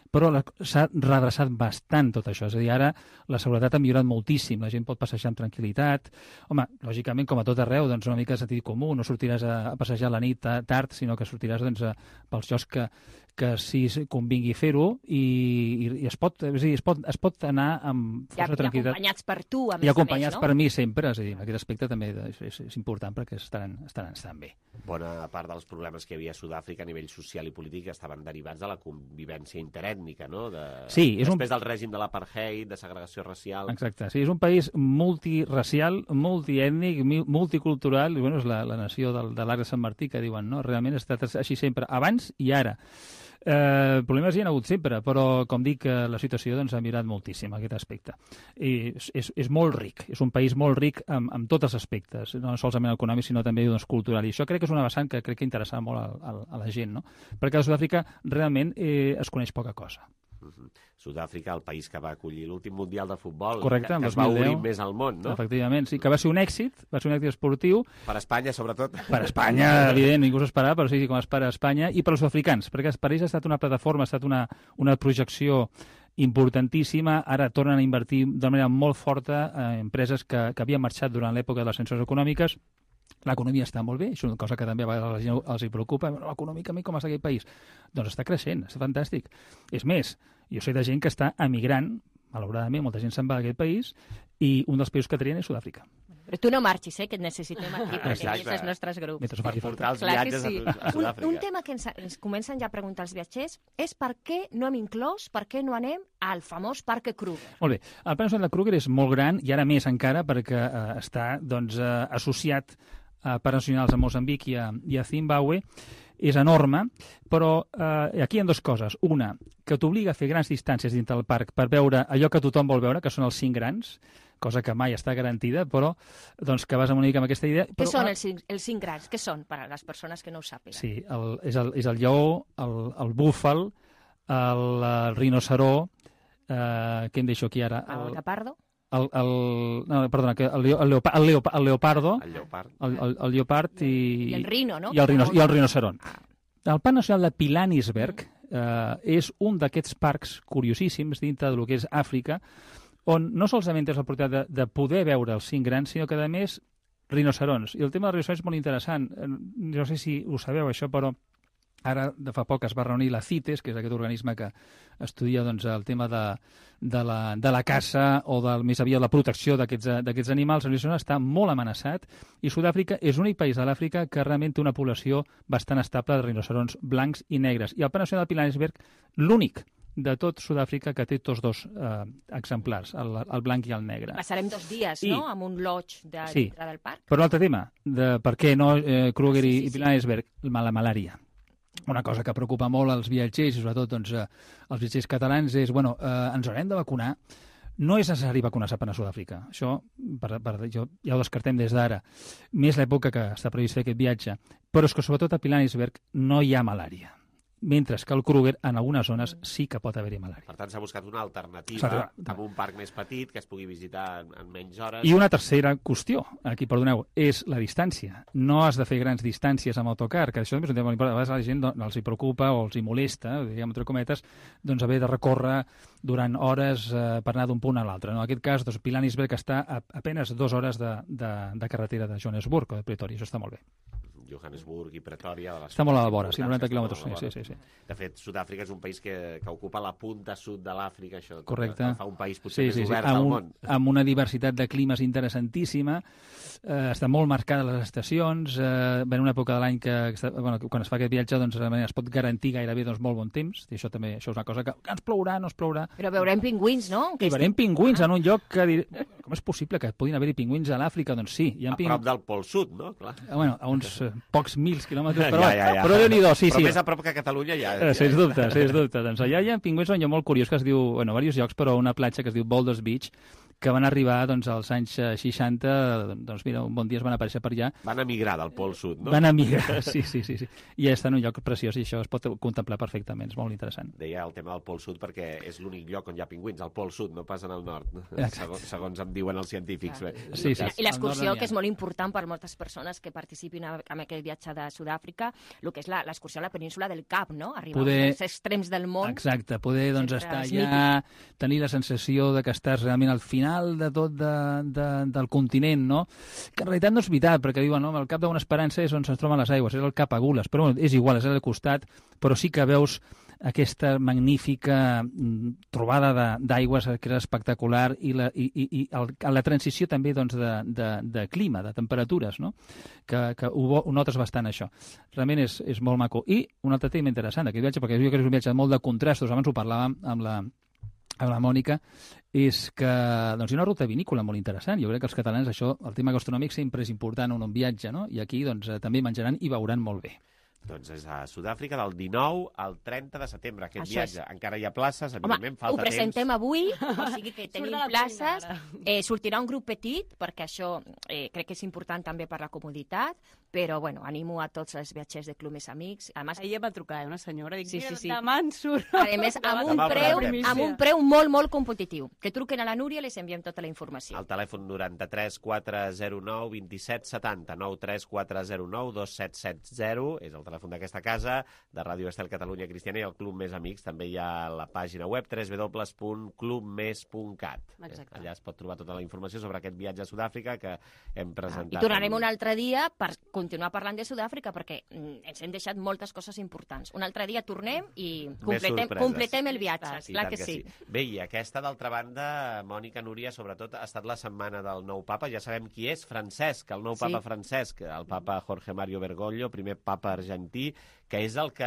però s'ha redreçat bastant tot això. És a dir, ara la seguretat ha millorat moltíssim, la gent pot passejar amb tranquil·litat. Home, lògicament, com a tot arreu, doncs una mica de sentit comú, no sortiràs a passejar a la nit tard, sinó que sortiràs pels llocs que que sí convingui fer-ho i es pot anar amb força tranquil·litat. I acompanyats per tu, a més a més, no? I acompanyats per mi sempre, és a dir, en aquest aspecte també és important perquè estan bé. Bona part dels problemes que hi havia a Sud-àfrica a nivell social i polític estaven derivats de la convivència interètnica, no? Després del règim de l'apartheid, de segregació racial... Exacte, sí, és un país multiracial, multiètnic, multicultural, i bueno, és la nació de l'Arc de Sant Martí, que diuen, no? Realment ha estat així sempre, abans i ara. Problemes hi ha hagut sempre, però com dic, la situació doncs, ha millorat moltíssim aquest aspecte. I és molt ric, és un país molt ric en tots els aspectes, no solament econòmic, sinó també doncs, cultural. I això crec que és una vessant que crec que interessava molt a la gent, no? Perquè a Sud-àfrica realment es coneix poca cosa. Sud-àfrica, el país que va acollir l'últim Mundial de Futbol, correcte, que es va obrir més al món, no? Efectivament, sí, que va ser un èxit esportiu. Per Espanya, sobretot. Per Espanya, evident, ningú s'ho esperava, però sí, com es per Espanya, i per als sud-africans, perquè per ells ha estat una plataforma, ha estat una projecció importantíssima. Ara tornen a invertir de manera molt forta en empreses que havien marxat durant l'època de les sancions econòmiques. L'economia està molt bé, és una cosa que també a vegades a la gent els preocupa. Econòmicament, com està aquest país? Doncs està creixent, està fantàstic. És més, jo sé de gent que està emigrant, malauradament, molta gent se'n va d'aquest país, i un dels països que trien és Sud-àfrica. Però tu no marxis, que et necessitem aquí, perquè vagis als nostres grups. Per portar els viatges a Sud-àfrica. Un tema que ens comencen ja a preguntar els viatgers és per què no hem inclòs, per què no anem al famós Parc Kruger. Molt bé, el Parc Nacional de Kruger és molt gran, i ara més encara, perquè està associat a parcs nacionals a Moçambic i a Zimbabue, és enorme, però aquí hi ha dues coses. Una, que t'obliga a fer grans distàncies dintre del parc per veure allò que tothom vol veure, que són els 5 grans, cosa que mai està garantida, però doncs, que vas una mica amb aquesta idea. Què són els 5 grans? Què són, per a les persones que no ho sàpiguen? Sí, és el lleó, el búfal, el rinoceró, què em deixo aquí ara? El guepardo? El leopardo, el lleopard i el rino, no? I el rinoceron. El Parc Nacional de Pilanesberg és un d'aquests parcs curiosíssims dintre del que és Àfrica, on no solament tens l'oportunitat de poder veure els 5 grans, sinó que, a més, rinocerons. I el tema dels rinocerons és molt interessant. No sé si ho sabeu, això, però ara, de fa poc, es va reunir la CITES, que és aquest organisme que estudia doncs, el tema de la caça o més aviat la protecció d'aquests animals. El rinoceront està molt amenaçat i Sud-àfrica és l'únic país de l'Àfrica que realment té una població bastant estable de rinocerons blancs i negres. I el Parc Nacional de Pilanesberg, l'únic de tot Sud-àfrica que té tots dos exemplars, el blanc i el negre. Passarem 2 dies, no?, amb un lodge dintre del parc. Però un altre tema, de per què no Kruger i Pilanesberg, la malària. Una cosa que preocupa molt als viatgers, i sobretot doncs, els viatgers catalans, és, ens haurem de vacunar. No és necessari vacunar-se per a Sud-àfrica. Això ja ho descartem des d'ara. Més l'època que està previst fer aquest viatge. Però és que, sobretot, a Pilanesberg no hi ha malària. Mentre que al Kruger, en algunes zones, sí que pot haver-hi malària. Per tant, s'ha buscat una alternativa amb un parc més petit que es pugui visitar en menys hores. I una tercera qüestió, aquí, perdoneu, és la distància. No has de fer grans distàncies amb autocar, que això és un tema molt important. A vegades a la gent els hi preocupa o els hi molesta, diguem, entre cometes, doncs haver de recórrer durant hores per anar d'un punt a l'altre. En aquest cas, doncs, Pilanesberg està a apenes 2 hores de carretera de Johannesburg o de Pretoria. Això està molt bé. Johannesburg i Pretoria... Està molt a la vora, 90 quilòmetres. Sí. De fet, Sud-àfrica és un país que ocupa la punta sud de l'Àfrica, això correcte. Fa un país potser més obert al món. Amb una diversitat de climes interessantíssima, està molt marcada les estacions, en una època de l'any que quan es fa aquest viatge doncs, es pot garantir gairebé molt bon temps, i això també és una cosa que ens plourà, no es plourà... Però veurem pingüins, no? I veurem pingüins en un lloc que... Com és possible que puguin haver-hi pingüins a l'Àfrica? Doncs sí. A prop del Pol Sud, no? Clar. A uns pocs mils quilòmetres, però Déu-n'hi-do, sí. Però més a prop que Catalunya ja... Sens dubte. Doncs allà hi ha pingüins on hi ha molt curiós, que es diu, diversos llocs, però una platja que es diu Boulders Beach, que van arribar als anys 60, doncs mira, un bon dia es van aparèixer per allà. Van emigrar del Pol Sud, no? Van emigrar, sí. I està en un lloc preciós i això es pot contemplar perfectament, és molt interessant. Deia el tema del Pol Sud perquè és l'únic lloc on hi ha pingüins, al Pol Sud, no pas en el nord, segons em diuen els científics. Sí. I l'excursió, que és molt important per moltes persones que participin en aquest viatge de Sud-àfrica, el que és l'excursió a la península del Cap, no? Arribar als extrems del món. Exacte, poder estar allà, tenir la sensació de que estàs realment al final de tot del continent, no? Que en realitat no és veritat, perquè diuen, no, el Cap d'una Esperança és on se'ns troben les aigües, és el Cap Agules, però és igual, és al costat, però sí que veus aquesta magnífica trobada d'aigües que era espectacular i la transició també doncs, de clima, de temperatures, no? que ho notes bastant, això. Realment és molt maco. I un altre tema interessant d'aquest viatge, perquè jo crec que és un viatge molt de contrastos, abans ho parlàvem amb la Mònica, és que doncs, hi ha una ruta vinícola molt interessant. Jo crec que els catalans, això, el tema gastronòmic sempre és important en un viatge, no? I aquí doncs, també menjaran i beuran molt bé. Doncs és a Sud-àfrica del 19 al 30 de setembre, aquest viatge. Encara hi ha places, evidentment, falta temps. Ho presentem avui, o sigui que tenim places. Sortirà un grup petit, perquè això crec que és important també per la comoditat, però, bueno, animo a tots els viatgers de Club Més Amics. Ahir em va trucar una senyora, dic, sí. demà en surt. A més, amb un preu molt, molt competitiu. Que truquen a la Núria i les enviem tota la informació. El telèfon 93 409 27 70, 93 409 2770, és el telèfon d'aquesta casa, de Ràdio Estel Catalunya Cristiana, i el Club Més Amics. També hi ha la pàgina web www.clubmes.cat. Allà es pot trobar tota la informació sobre aquest viatge a Sud-àfrica que hem presentat. I tornarem un altre dia per continuar parlant de Sud-àfrica, perquè ens hem deixat moltes coses importants. Un altre dia tornem i completem el viatge. Clar que sí. Bé, i aquesta, d'altra banda, Mònica, Núria, sobretot, ha estat la setmana del nou papa. Ja sabem qui és, Francesc, el nou papa Francesc, el papa Jorge Mario Bergoglio, primer papa argentí, que és el que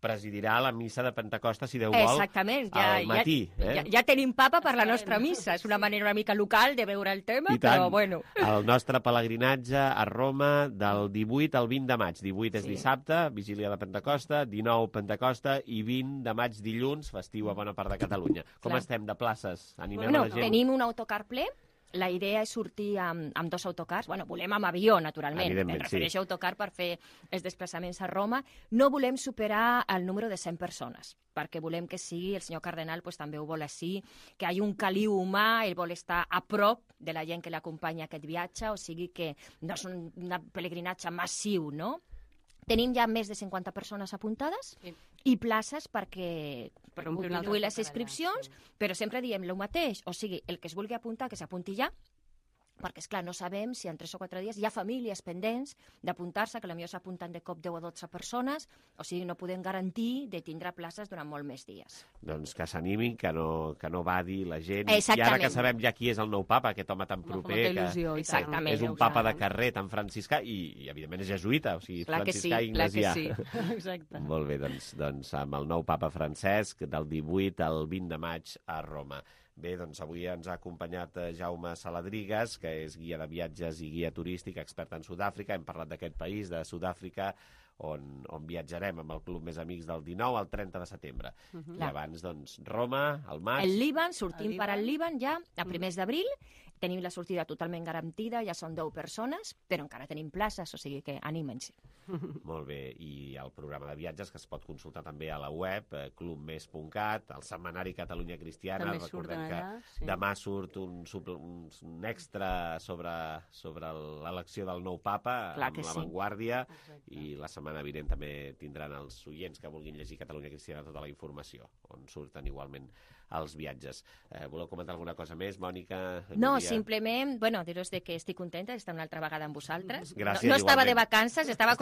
presidirà la missa de Pentecosta, si Déu vol, al matí. Ja tenim papa per la nostra missa. És una manera una mica local de veure el tema, però bueno. El nostre pelegrinatge a Roma del 18 al 20 de maig. 18 és dissabte, vigília de Pentecosta, 19 Pentecosta i 20 de maig dilluns, festiu a bona part de Catalunya. Com estem de places? Animem a la gent? Tenim un autocar ple. La idea és sortir amb 2 autocars. Bueno, volem amb avió, naturalment. Em refereixo a autocar per fer els desplaçaments a Roma. No volem superar el número de 100 persones, perquè volem que sigui, el senyor cardenal també ho vol així, que hi hagi un caliu humà, ell vol estar a prop de la gent que l'acompanya a aquest viatge, o sigui que no és un pelegrinatge massiu, no? Tenim ja més de 50 persones apuntades i places per continuï les inscripcions, però sempre diem el mateix, o sigui, el que es vulgui apuntar, que s'apunti ja, perquè, esclar, no sabem si en 3 o 4 dies hi ha famílies pendents d'apuntar-se, que potser s'apunten de cop 10 o 12 persones, o sigui, no podem garantir de tindre places durant molt més dies. Doncs que s'animin, que no badi la gent. I ara que sabem ja qui és el nou papa, aquest home tan proper, que és un papa de carrer tan franciscà, i evidentment és jesuïta, o sigui, franciscà i ignasià. Exacte. Molt bé, doncs amb el nou papa Francesc, del 18 al 20 de maig a Roma. Bé, doncs avui ens ha acompanyat Jaume Saladrigas, que és guia de viatges i guia turístic, expert en Sud-àfrica. Hem parlat d'aquest país, de Sud-àfrica, on viatjarem amb el Club Més Amics del 19 al 30 de setembre. I abans, doncs, Roma, al maig... El Líban, sortim per al Líban ja a primers d'abril. Tenim la sortida totalment garantida, ja són 10 persones, però encara tenim places, o sigui que anímense. Molt bé, i el programa de viatges que es pot consultar també a la web, clubmes.cat, el setmanari Catalunya Cristiana, recordem que demà surt un extra sobre l'elecció del nou papa, amb l'avantguàrdia, i la setmana vinent també tindran els oients que vulguin llegir Catalunya Cristiana tota la informació, on surten igualment els viatges. Voleu comentar alguna cosa més, Mònica? No, simplement, dir-vos que estic contenta d'estar una altra vegada amb vosaltres. Gràcies, no estava de vacances, estava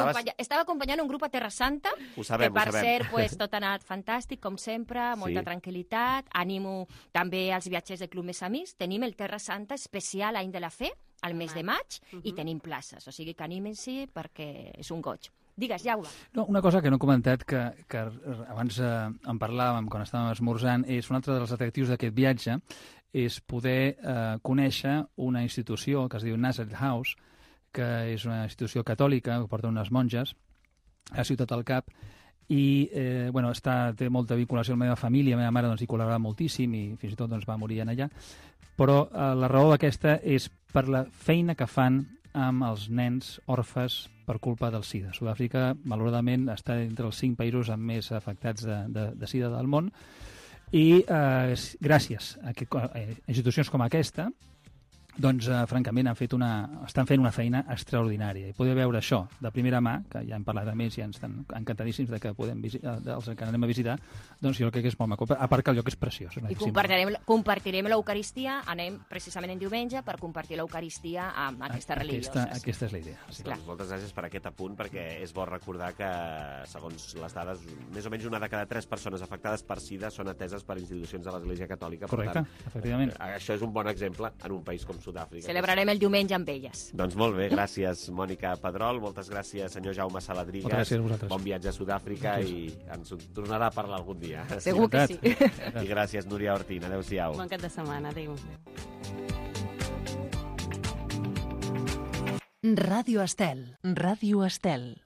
acompanyant un grup a Terra Santa, que per cert, tot ha anat fantàstic, com sempre, molta tranquil·litat. Animo també als viatgers del Club Més Amics. Tenim el Terra Santa especial Any de la Fe, al mes de maig, i tenim places, o sigui que anímense perquè és un goig. Digues, Jaume. No, una cosa que no he comentat, que abans en parlàvem quan estàvem esmorzant, és un altre dels atractius d'aquest viatge, és poder conèixer una institució que es diu Nazareth House, que és una institució catòlica que porta unes monges a Ciutat del Cap, i té molta vinculació amb la meva família. La meva mare hi col·laborava moltíssim i fins i tot va morir allà, però la raó aquesta és per la feina que fan amb els nens orfes per culpa del SIDA. Sud-àfrica, malauradament, està entre els 5 països amb més afectats de SIDA del món, i gràcies a institucions com aquesta doncs, francament, estan fent una feina extraordinària. I poder veure això de primera mà, que ja hem parlat amb ells i ens estan encantadíssims de que els que anem a visitar, doncs jo crec que és molt maco. A part que el lloc és preciós. I compartirem l'Eucaristia, anem precisament en diumenge per compartir l'Eucaristia amb aquestes religioses. Aquesta és la idea. Sí. Doncs moltes gràcies per aquest apunt, perquè és bo recordar que, segons les dades, més o menys una de cada 3 persones afectades per SIDA són ateses per institucions de l'Església Catòlica. Correcte, efectivament. Això és un bon exemple en un país com Sud-àfrica. Celebrarem el diumenge amb elles. Doncs molt bé, gràcies Mònica Pedrol, moltes gràcies senyor Jaume Saladrigas. Moltes gràcies a vosaltres. Bon viatge a Sud-àfrica i ens tornarà a parlar algun dia. Segur que sí. I gràcies Núria Ortín, adéu-siau. Bon cap de setmana, adéu. Ràdio Estel. Ràdio Estel.